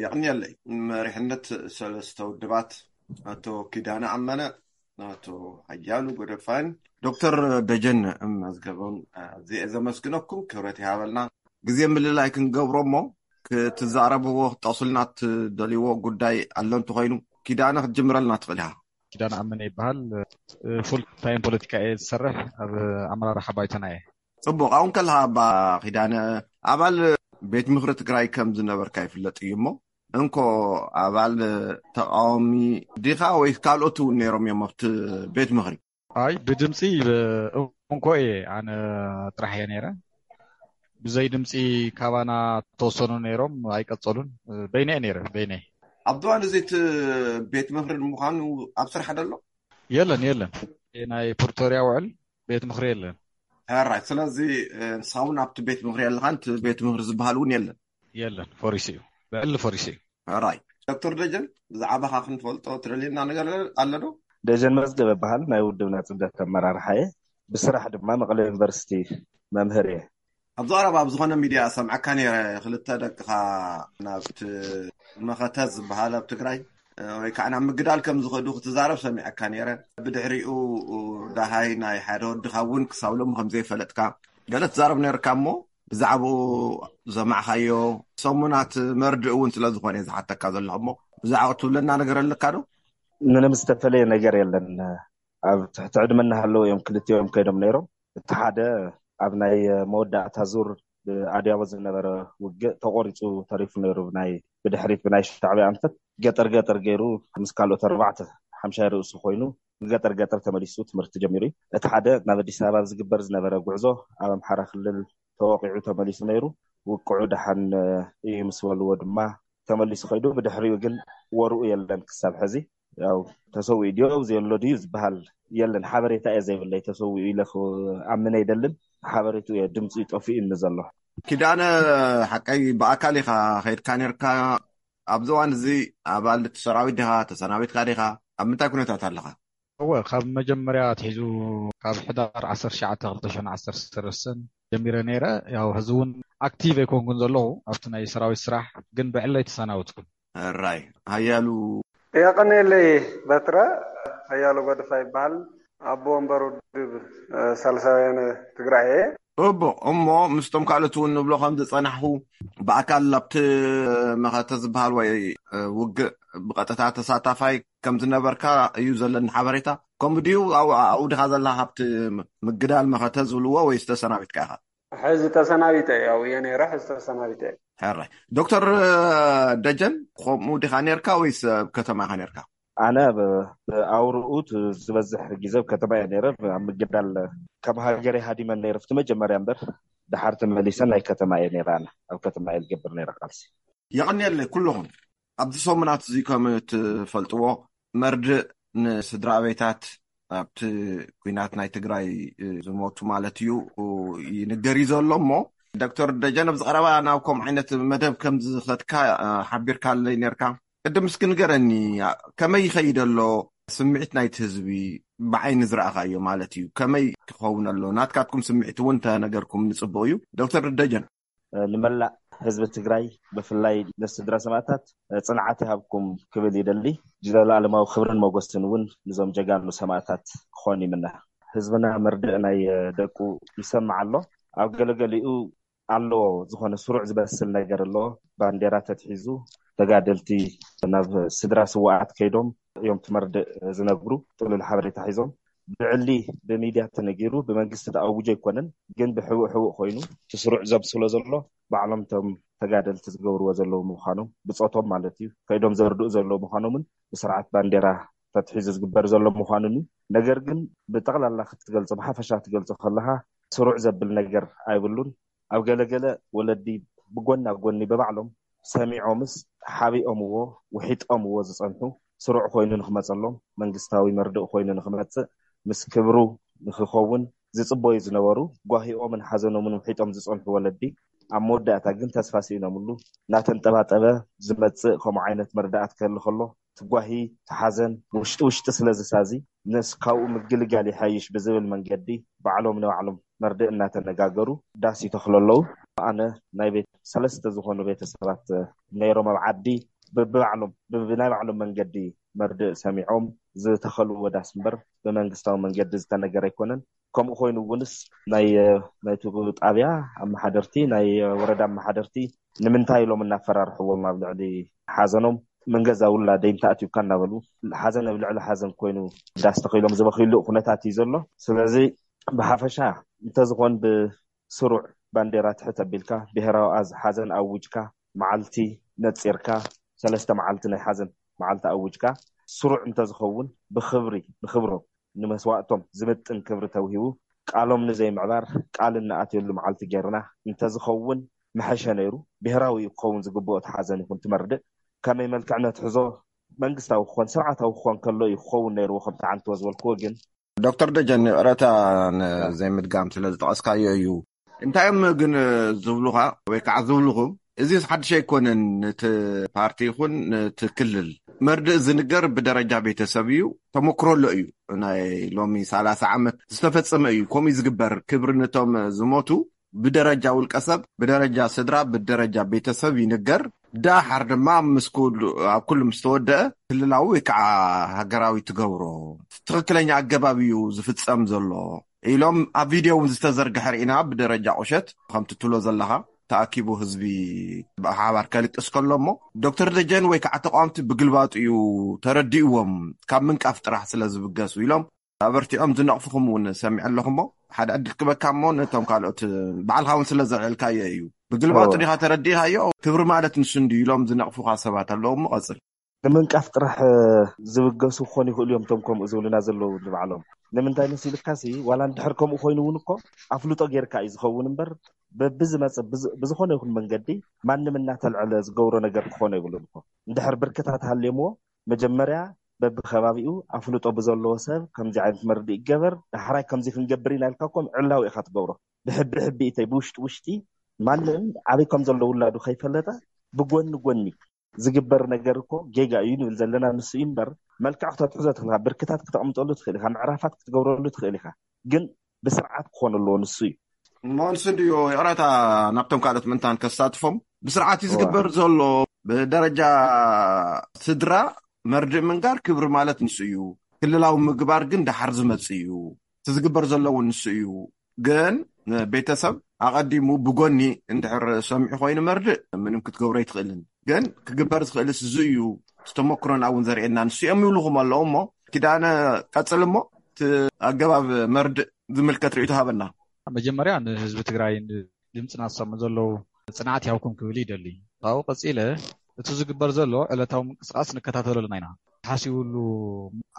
የቕንየለይ። መሪሕነት ሰለስተ ውድባት ኣቶ ኪዳነ ኣመነ፣ ኣቶ ሓያሉ ጎደፋን ዶክተር ደጀን መዝገቦም ኣዝየ ዘመስግነኩም። ክብረት ይሃበልና። ግዜ ምልላይ ክንገብሮ እሞ ክትዛረብዎ ክትጠቕሱልና ትደልይዎ ጉዳይ ኣሎ እንተኾይኑ ኪዳነ ክትጅምረልና ትኽእል ኢኻ። ኪዳነ ኣመነ ይበሃል። ፉል ታይም ፖለቲካ እየ ዝሰርሕ፣ ኣብ ኣመራርሓ ባይቶና እየ። ጽቡቕ። ኣሁን ከለኻ ኣባ ኪዳነ ኣባል ቤት ምኽሪ ትግራይ ከም ዝነበርካ ይፍለጥ እዩ እሞ እንኮ ኣባል ተቃዋሚ ዲኻ ወይስ ካልኦት እውን ነይሮም እዮም ኣብቲ ቤት ምኽሪ? ኣይ ብድምፂ እንኮ እየ ኣነ ጥራሕ እየ ነይረ። ብዘይ ድምፂ ካባና ተወሰኑ ነይሮም ኣይቀፀሉን። በይነ እየ ነይረ በይነ። ኣብቲ እዋን እዚ እቲ ቤት ምኽሪ ንምዃኑ ኣብ ስራሕ ደሎ? የለን የለን። ናይ ፕሪቶርያ ውዕል ቤት ምኽሪ የለን። ሕራይ ስለዚ ንስኻ እውን ኣብቲ ቤት ምኽሪ የለኻን፣ እቲ ቤት ምኽሪ ዝበሃል እውን የለን። የለን፣ ፈሪሱ እዩ። ብዕሊ ፈሪሱ እዩ። ሕራይ ዶክተር ደጀን ብዛዕባኻ ክንፈልጦ ትደልየና ነገር ኣሎ ዶ? ደጀን መዝገበ በሃል፣ ናይ ውድብና ጽምደት ኣመራርሓ እየ። ብስራሕ ድማ መቐለ ዩኒቨርሲቲ መምህር እየ። ኣብዚ ቀረባ ኣብ ዝኾነ ሚድያ ሰምዐካ ነይረ፣ ክልተ ደቅኻ ናብቲ መኸተ ዝበሃል ኣብ ትግራይ ወይ ከዓ ናብ ምግዳል ከም ዝኸዱ ክትዛረብ ሰሚዐካ ነይረ። ብድሕሪኡ ደሃይ ናይ ሓደ ወድኻ እውን ክሳብ ሎሚ ከም ዘይፈለጥካ ገለ ትዛረብ ነርካ እሞ ብዛዕባኡ ዘማዕኻዮ ሰሙናት መርድእ እውን ስለ ዝኾነ ዝሓተካ ዘለኹ እሞ ብዛዕባኡ ትብለና ነገር ኣለካ ዶ? ምንም ዝተፈለየ ነገር የለን። ኣብ ትሕቲ ዕድመ እናሃለዉ እዮም ክልቲኦም ከይዶም ነይሮም። እቲ ሓደ ኣብ ናይ መወዳእታ ዙር ብኣድያቦ ዝነበረ ውግእ ተቆሪፁ ተሪፉ ነይሩ። ብናይ ብድሕሪት ብናይ ሻዕብያ ኣንፈት ገጠር ገጠር ገይሩ ምስ ካልኦት ኣርባዕተ ሓምሻይ ርእሱ ኮይኑ ንገጠር ገጠር ተመሊሱ ትምህርቲ ጀሚሩ እዩ። እቲ ሓደ ናብ ኣዲስ ኣበባ ዝግበር ዝነበረ ጉዕዞ ኣብ ኣምሓራ ክልል ተወቂዑ ተመሊሱ ነይሩ። ውቅዑ ደሓን እዩ ምስ በልዎ ድማ ተመሊሱ ከይዱ። ብድሕሪኡ ግን ወርኡ የለን ክሳብ ሕዚ። ያው ተሰዊኡ ድዮ ኣብዚ ዘሎ ድዩ ዝበሃል የለን። ሓበሬታ እየ ዘይብለይ፣ ተሰዊኡ ኢለ ክኣምን ኣይደልን። ሓበሬትኡ እየ ድምፂ ጠፊኡ እኒ ዘሎ። ኪዳነ፣ ሓቀይ ብኣካል ኢኻ ከይድካ ነርካ? ኣብዚ እዋን እዚ ኣባል እቲ ሰራዊት ዲኻ? ተሰናቢትካ ዲኻ? ኣብ ምንታይ ኩነታት ኣለኻ? እወ፣ ካብ መጀመርያ ኣትሒዙ ካብ ሕዳር ዓሰርተ ትሽዓተ ክልተ ሽሕን ዓሰርተ ሰለስተን ጀሚረ ነይረ። ያው ሕዚ እውን ኣክቲቭ ኣይኮንኩን ዘለኹ ኣብቲ ናይ ሰራዊት ስራሕ፣ ግን ብዕለይ ተሰናበትኩ። ሕራይ ሓያሉ። የቐንየለይ በትረ። ሓያሉ ጎደፋ ይበሃል። ኣቦ ወንበር ውድብ ሳልሳውያን ትግራይ እየ። እቦ እሞ ምስቶም ካልኦት እውን ንብሎ ከም ዝፀናሕኹ ብኣካል ኣብቲ መኸተ ዝበሃል ወይ ውግእ ብቐጥታ ተሳታፋይ ከም ዝነበርካ እዩ ዘለኒ ሓበሬታ። ከምኡ ድዩ? ኣብኡ ዲኻ ዘለኻ ኣብቲ ምግዳል መኸተ ዝብልዎ ወይስ ተሰናቢትካ ኢኻ? ሕዚ ተሰናቢተ እየ። ኣብኡ እየ ነይረ፣ ሕዚ ተሰናቢተ እየ። ሕራይ ዶክተር ደጀን፣ ከምኡ ዲኻ ነርካ ወይስ ኣብ ከተማ ኢኻ ነርካ? ኣነ ኣብ ኣብርኡ ዝበዝሕ ግዜ ኣብ ከተማ እየ ነይረ። ኣብ ምግዳል ካብ ሃገረይ ሃዲመ ነይረ ኣብቲ መጀመርያ እምበር፣ ድሓር ተመሊሰ ናይ ከተማ እየ ነይረ። ኣነ ኣብ ከተማ እየ ዝገብር ነይረ ቃልሲ። የቐንየለይ ኩልኹም። ኣብዚ ሰሙናት እዚ ከም እትፈልጥዎ መርድእ ንስድራ ቤታት ኣብቲ ኲናት ናይ ትግራይ ዝሞቱ ማለት እዩ ይንገር እዩ ዘሎ እሞ ዶክተር ደጀን ኣብዚ ቀረባ ናብ ከምኡ ዓይነት መደብ ከም ዝኸድካ ሓቢርካለይ ነርካ። ቅድም እስኪ ንገረኒ ከመይ ይኸይድ ኣሎ ስምዒት ናይቲ ህዝቢ ብዓይኒ ዝረኣኻዮ ማለት እዩ ከመይ ክኸውን ኣሎ ናትካትኩም ስምዒት እውን ተነገርኩም ንፅቡቅ እዩ። ዶክተር ደጀን። ንመላእ ህዝቢ ትግራይ ብፍላይ ንስድራ ሰማእታት ፅንዓት ይሃብኩም ክብል ይደሊ። ዘለኣለማዊ ክብርን መጎስን እውን ንዞም ጀጋኑ ሰማእታት ክኾን ይምነ። ህዝብና መርድእ ናይ ደቁ ይሰምዕ ኣሎ። ኣብ ገለገሊኡ ኣለዎ ዝኾነ ስሩዕ ዝበስል ነገር ኣለዎ። ባንዴራ ተትሒዙ ተጋደልቲ ናብ ስድራ ስዋኣት ከይዶም እዮም ትመርድእ ዝነግሩ ጥሉል ሓበሬታ ሒዞም ብዕሊ ብሚድያ ተነጊሩ ብመንግስቲ ተኣውጆ ኣይኮነን፣ ግን ብሕቡእ ሕቡእ ኮይኑ እቲ ስሩዕ ዘብስሎ ዘሎ ባዕሎም እቶም ተጋደልቲ ዝገብርዎ ዘለዉ ምዃኖም ብፆቶም ማለት እዩ ከይዶም ዘርድኡ ዘለዉ ምዃኖምን ብስርዓት ባንዴራ ተትሒዙ ዝግበር ዘሎ ምዃኑን እዩ። ነገር ግን ብጠቕላላ ክትገልፆ ብሓፈሻ ክትገልፆ ከለካ ስሩዕ ዘብል ነገር ኣይብሉን። ኣብ ገለገለ ወለዲ ብጎና ጎኒ ብባዕሎም ሰሚዖምስ ሓቢኦምዎ ውሒጦምዎ ዝፀንሑ ስሩዕ ኮይኑ ንክመፀሎም መንግስታዊ መርድእ ኮይኑ ንክመፅእ ምስ ክብሩ ንክኸውን ዝፅበዩ ዝነበሩ ጓሂኦምን ሓዘኖምን ውሒጦም ዝፀንሑ ወለዲ ኣብ መወዳእታ ግን ተስፋ ስኢኖምሉ እናተንጠባጠበ ዝመፅእ ከምኡ ዓይነት መርዳእት ክህሊ ከሎ ትጓሂ ትሓዘን ውሽጢ ውሽጢ ስለ ዝሳዚ ነስ ካብኡ ምግልጋል ይሓይሽ ብዝብል መንገዲ ባዕሎም ንባዕሎም መርድእ እናተነጋገሩ ዳስ ይተኽሉ ኣለዉ። ኣነ ናይ ቤት ሰለስተ ዝኾኑ ቤተሰባት ነይሮም ኣብ ዓዲ ብባዕሎም ብናይ ባዕሎም መንገዲ መርድእ ሰሚዖም ዝተኸልዎ ዳስ እምበር ብመንግስታዊ መንገዲ ዝተነገረ ኣይኮነን። ከምኡ ኮይኑ እውንስ ናይ ናይቲ ጣብያ ኣመሓደርቲ፣ ናይ ወረዳ ኣመሓደርቲ ንምንታይ ኢሎም እናፈራርሕዎም ኣብ ልዕሊ ሓዘኖም፣ ምን ገዛ ውላደይ እንተኣትዩካ እናበሉ ሓዘን ኣብ ልዕሊ ሓዘን ኮይኑ ዳስ ተኸይሎም ዝበኽይሉ ኩነታት እዩ ዘሎ። ስለዚ ብሓፈሻ እንተዝኾን ብስሩዕ ባንዴራ ትሕት ኣቢልካ ብሄራዊ ኣዝ ሓዘን ኣውጅካ፣ መዓልቲ ነፂርካ፣ ሰለስተ መዓልቲ ናይ ሓዘን መዓልቲ ኣውጅካ፣ ስሩዕ እንተዝኸውን ብክብሪ ንክብሮም ንመስዋእቶም ዝምጥን ክብሪ ተውሂቡ፣ ቃሎም ንዘይምዕባር ቃል እንኣትየሉ መዓልቲ ጌርና እንተዝኸውን ምሐሸ ነይሩ። ብሄራዊ እዩ ክኸውን ዝግብኦ፣ እቲ ሓዘን ይኹን ትመርድእ ከመይ መልክዕ ነትሕዞ፣ መንግስታዊ ክኾን ስርዓታዊ ክኾን ከሎ እዩ ክኸውን ነይርዎ። ከምቲ ዓንትዎ ዝበልክዎ ግን ዶክተር ደጀን፣ ይቕረታ ንዘይምድጋም ስለ ዝጠቐስካዮ እዩ። እንታይ እዮም ግን ዝብሉኻ ወይ ከዓ ዝብልኹም? እዚ ሓድሽ ኣይኮነን። እቲ ፓርቲ ይኹን እቲ ክልል መርድእ ዝንገር ብደረጃ ቤተሰብ እዩ። ተመክሮ ኣሎ እዩ። ናይ ሎሚ ሰላሳ ዓመት ዝተፈጸመ እዩ። ከምኡ እዩ ዝግበር። ክብሪ ነቶም ዝሞቱ ብደረጃ ውልቀ ሰብ፣ ብደረጃ ስድራ፣ ብደረጃ ቤተሰብ ይንገር። ዳሓር ድማ ምስ ኩሉ፣ ኣብ ኩሉ ምስ ተወደአ ክልላዊ ወይ ከዓ ሃገራዊ ትገብሮ። ትኽክለኛ ኣገባብ እዩ ዝፍጸም ዘሎ ኢሎም ኣብ ቪድዮ እውን ዝተዘርግሐ ርኢና። ብደረጃ ቁሸት ከምቲ ትብሎ ዘለኻ ተኣኪቡ ህዝቢ ብሓባር ከልቅስ ከሎ እሞ ዶክተር ደጀን ወይ ከዓ ተቃወምቲ ብግልባጡ እዩ ተረዲእዎም፣ ካብ ምንቃፍ ጥራሕ ስለ ዝብገሱ ኢሎም ኣበርቲዖም ዝነቕፉኹም እውን ሰሚዐ ኣለኹ። እሞ ሓደ ዕድል ክበካ እሞ ነቶም ካልኦት ባዕልኻ እውን ስለ ዘልዕልካዮ እዩ። ብግልባጡ ዲኻ ተረዲእኻዮ? ክብሪ ማለት ንሱ እንዲ ኢሎም ዝነቕፉኻ ሰባት ኣለዉ። እሞ ቀጽል። ንምንቃፍ ጥራሕ ዝብገሱ ክኾኑ ይኽእሉ እዮም፣ እቶም ከምኡ ዝብሉና ዘለዉ ንባዕሎም። ንምንታይ መሲልካሲ፣ ዋላ እንድሕር ከምኡ ኮይኑ እውን እኮ ኣፍልጦ ጌርካ እዩ ዝኸውን እምበር፣ በብዝመጽእ ብዝ-፣ ብዝኾነ ይኹን መንገዲ ማንም እናተልዐለ ዝገብሮ ነገር ክኾነ ይብሉን እኮ። እንድሕር ብርክታት ሃልዮምዎ፣ መጀመርያ በብከባቢኡ ኣፍልጦ ብዘለዎ ሰብ ከምዚ ዓይነት መርድእ ይገበር፣ ዳሕራይ ከምዚ ክንገብር ኢና ኢልካ እኮ ምዕላዊ ኢኻ ትገብሮ። ብሕቢ ሕቢ እተይ ብውሽጢ ውሽጢ ማንም ኣበይ ከም ዘሎ ውላዱ ከይፈለጠ ብጎኒ ጎኒ ዝግበር ነገር እኮ ጌጋ እዩ ንብል ዘለና። ንሱ እዩ እምበር፣ መልክዕ ክተትሕዞ ትኽእል ኢኻ፣ ብርክታት ክተቕምጠሉ ትኽእል ኢኻ፣ ምዕራፋት ክትገብረሉ ትኽእል ኢኻ። ግን ብስርዓት ክኾን ኣለዎ፣ ንሱ እዩ። እሞ ንሱ እንድዩ ይቕረታ ናብቶም ካልኦት ምእንታን ከሳትፎም። ብስርዓት እዩ ዝግበር ዘሎ። ብደረጃ ስድራ መርድእ ምንጋር ክብሪ ማለት ንሱ እዩ። ክልላዊ ምግባር ግን ደሓር ዝመጽእ እዩ። እቲ ዝግበር ዘሎ እውን ንሱ እዩ። ግን ቤተሰብ ኣቐዲሙ ብጎኒ እንድሕር ሰሚዑ ኮይኑ መርድእ ምንም ክትገብሮ ኣይትኽእልን። ግን ክግበር ዝኽእልስ እዚ እዩ፣ ዝተመክሮና እውን ዘርእየና ንሱ እዮም ይብልኹም ኣለዉ። እሞ ኪዳነ ቀጽል እሞ እቲ ኣገባብ መርድእ ዝምልከት ርእይቶ ሃበና። መጀመርያ ንህዝቢ ትግራይ ድምፅና ዝሰምዑ ዘለዉ ጽንዓት ይሃብኩም ክብል ይደሊ። ካብኡ ቀጺለ እቲ ዝግበር ዘሎ ዕለታዊ ምንቅስቃስ ንከታተለልና ኢና። ተሓሲቡሉ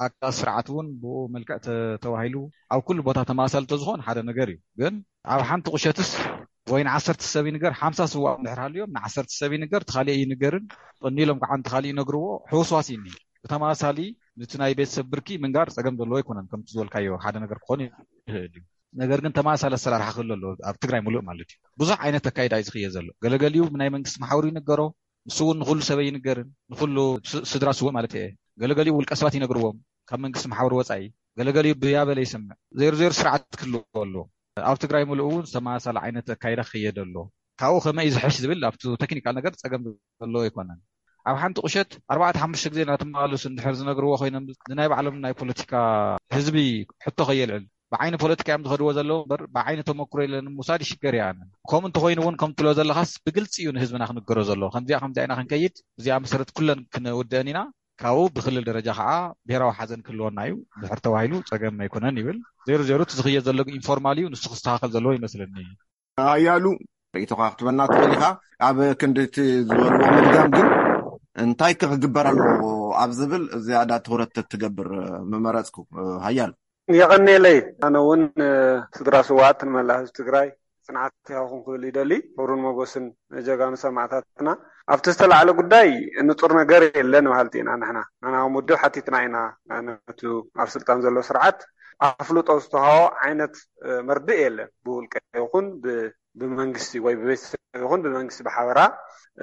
ኣካል ስርዓት እውን ብኡ መልክዕ ተ-፣ ተባሂሉ ኣብ ኩሉ ቦታ ተመሳሳሊ ተዝኾን ሓደ ነገር እዩ። ግን ኣብ ሓንቲ ቁሸትስ ወይ ንዓሰርተ ሰብ ይንገር፣ ሓምሳ ስዋእ እንድሕር ሃልዮም ንዓሰርተ ሰብ ይንገር፣ እቲ ካሊእ ይንገርን ቀኒሎም ከዓ ነቲ ካሊእ ይነግርዎ፣ ሕውስዋስ እዩ እኒሄ። ብተመሳሳሊ ነቲ ናይ ቤተሰብ ብርኪ ምንጋር ጸገም ዘለዎ ኣይኮነን። ከምቲ ዝበልካዮ ሓደ ነገር ክኾን ይኽእል እዩ። ነገር ግን ተመሳሳሊ ኣሰራርሓ ክህሉ ኣለዎ ኣብ ትግራይ ሙሉእ ማለት እዩ። ብዙሕ ዓይነት ኣካይዳ እዩ ዝኽየ ዘሎ። ገለገሊኡ ብናይ መንግስቲ መሓውር ይንገሮ፣ ንሱ እውን ንኹሉ ሰብ ኣይንገርን፣ ንኹሉ ስ-፣ ስድራ ስውእ ማለት እየ። ገለገሊኡ ውልቀ ሰባት ይነግርዎም ካብ መንግስቲ መሓውር ወፃኢ፣ ገለገሊኡ ብያበለ ይሰምዕ። ዜሮ ዜሮ ስርዓት ክህልዎ ኣለዎ። ኣብ ትግራይ ሙሉእ እውን ተመሳሳሊ ዓይነት ኣካይዳ ክኽየድ ኣሎ። ካብኡ ከመይ እዩ ዝሕሽ ዝብል ኣብቲ ቴክኒካል ነገር ፀገም ዘለዎ ኣይኮነን። ኣብ ሓንቲ ቁሸት ኣርባዕተ ሓሙሽተ ግዜ እናተመላለሱ እንድሕር ዝነግርዎ ኮይኖም ንናይ ባዕሎም ናይ ፖለቲካ ህዝቢ ሕቶ ከየልዕል ብዓይኒ ፖለቲካ እዮም ዝኸድዎ ዘለዉ እምበር ብዓይኒ ተመክሮ የለን ምውሳድ ይሽገር እየ ኣነ። ከምኡ እንተኾይኑ እውን ከም ትብሎ ዘለኻስ ብግልፂ እዩ ንህዝብና ክንገሮ ዘለዎ። ከምዚኣ ከምዚኣ ኢና ክንከይድ፣ እዚኣ መሰረት ኩለን ክንውድአን ኢና። ካብኡ ብክልል ደረጃ ከዓ ብሄራዊ ሓዘን ክህልወና እዩ እንድሕር ተባሂሉ ፀገም ኣይኮነን ይብል። ዜሮ ዜሮ እቲ ዝኽየድ ዘሎ ኢንፎርማል እዩ፣ ንሱ ክስተኻኸል ዘለዎ ይመስለኒ። ሓያሉ ርእይቶኻ ክትበና ትኽእል ኢኻ። ኣብ ክንዲ እቲ ዝበልዎ ምድጋም ግን እንታይ ክግበር ኣለዎ ኣብ ዝብል ዝያዳ ትኹረት ተትገብር ምመረፅኩ። ሓያሉ። የቐንየለይ። ኣነ እውን ስድራ ስውኣት ንመላእ ህዝቢ ትግራይ ጽንዓት ይሃብኹም ክብል ይደሊ። ክብርን ሞጎስን ንጀጋኑ ሰማዕታትና። ኣብቲ ዝተላዕለ ጉዳይ ንጹር ነገር የለን በሃልቲ ኢና ንሕና። ንሕና ከም ውድብ ሓቲትና ኢና ነቱ ኣብ ስልጣን ዘሎ ስርዓት ኣፍልጦ ዝተዋህቦ ዓይነት መርድእ የለን። ብውልቀ ይኹን ብ-፣ ብመንግስቲ ወይ ብቤተሰብ ይኹን ብመንግስቲ ብሓበራ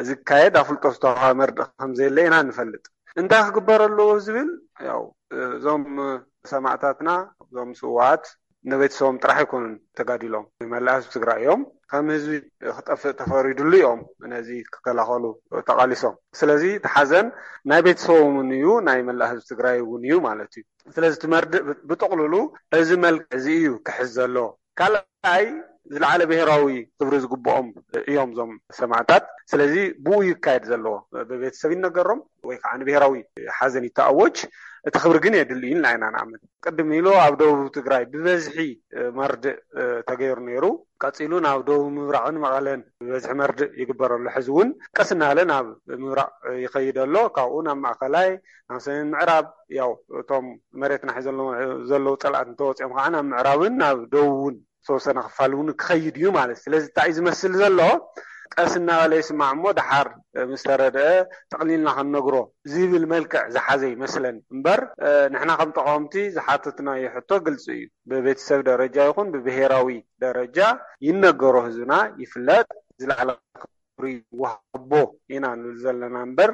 ዝካየድ ኣፍልጦ ዝተዋህበ መርድእ ከም ዘየለ ኢና ንፈልጥ። እንታይ ክግበር ኣለዎ ዝብል ያው እዞም ሰማዕታትና፣ እዞም ስውኣት ንቤተሰቦም ጥራሕ ኣይኮኑን ተጋዲሎም፣ ንመላእ ህዝቢ ትግራይ እዮም። ከም ህዝቢ ክጠፍእ ተፈሪድሉ እዮም ነዚ ክከላኸሉ ተቓሊሶም። ስለዚ እቲ ሓዘን ናይ ቤተሰቦም እውን እዩ፣ ናይ መላእ ህዝቢ ትግራይ እውን እዩ ማለት እዩ። ስለዚ እቲ መርድእ ብ- ብጥቕልሉ እዚ መልክዕ እዚ እዩ ክሕዝ ዘለዎ። ካልኣይ፣ ዝለዓለ ብሔራዊ ክብሪ ዝግብኦም እዮም እዞም ሰማዕታት። ስለዚ ብኡ ይካየድ ዘለዎ፣ ብቤተሰብ ይነገሮም ወይ ከዓ ንብሔራዊ ሓዘን ይተኣወጅ፣ እቲ ክብሪ ግን የድሊ እዩ ኢልና ኢና ንኣምን። ቅድም ኢሉ ኣብ ደቡብ ትግራይ ብበዝሒ መርድእ ተገይሩ ነይሩ። ቀፂሉ ናብ ደቡብ ምብራቕን መቐለን ብበዝሒ መርድእ ይግበረሉ። ሕዚ እውን ቀስ እናበለ ናብ ምብራቕ ይኸይድ ኣሎ። ካብኡ ናብ ማእኸላይ፣ ናብ ሰሜን ምዕራብ፣ ያው እቶም መሬትና ሒዞም ዘለዉ ፀላእቲ እንተወፂኦም ከዓ ናብ ምዕራብን ናብ ደቡብን ዝተወሰነ ክፋል እውን ክኸይድ እዩ ማለት። ስለዚ እንታይ እዩ ዝመስል ዘሎ? ቀስ እናበለ ይስማዕ እሞ ደሓር ምስ ተረድአ ጠቕሊልና ክንነግሮ ዝብል መልክዕ ዝሓዘ ይመስለኒ እምበር፣ ንሕና ከም ተቃወምቲ ዝሓተትናዮ ሕቶ ግልፂ እዩ። ብቤተሰብ ደረጃ ይኹን ብብሄራዊ ደረጃ ይነገሮ፣ ህዝብና ይፍለጥ፣ ዝለዓለ ክብሪ ይወሃቦ ኢና ንብል ዘለና እምበር፣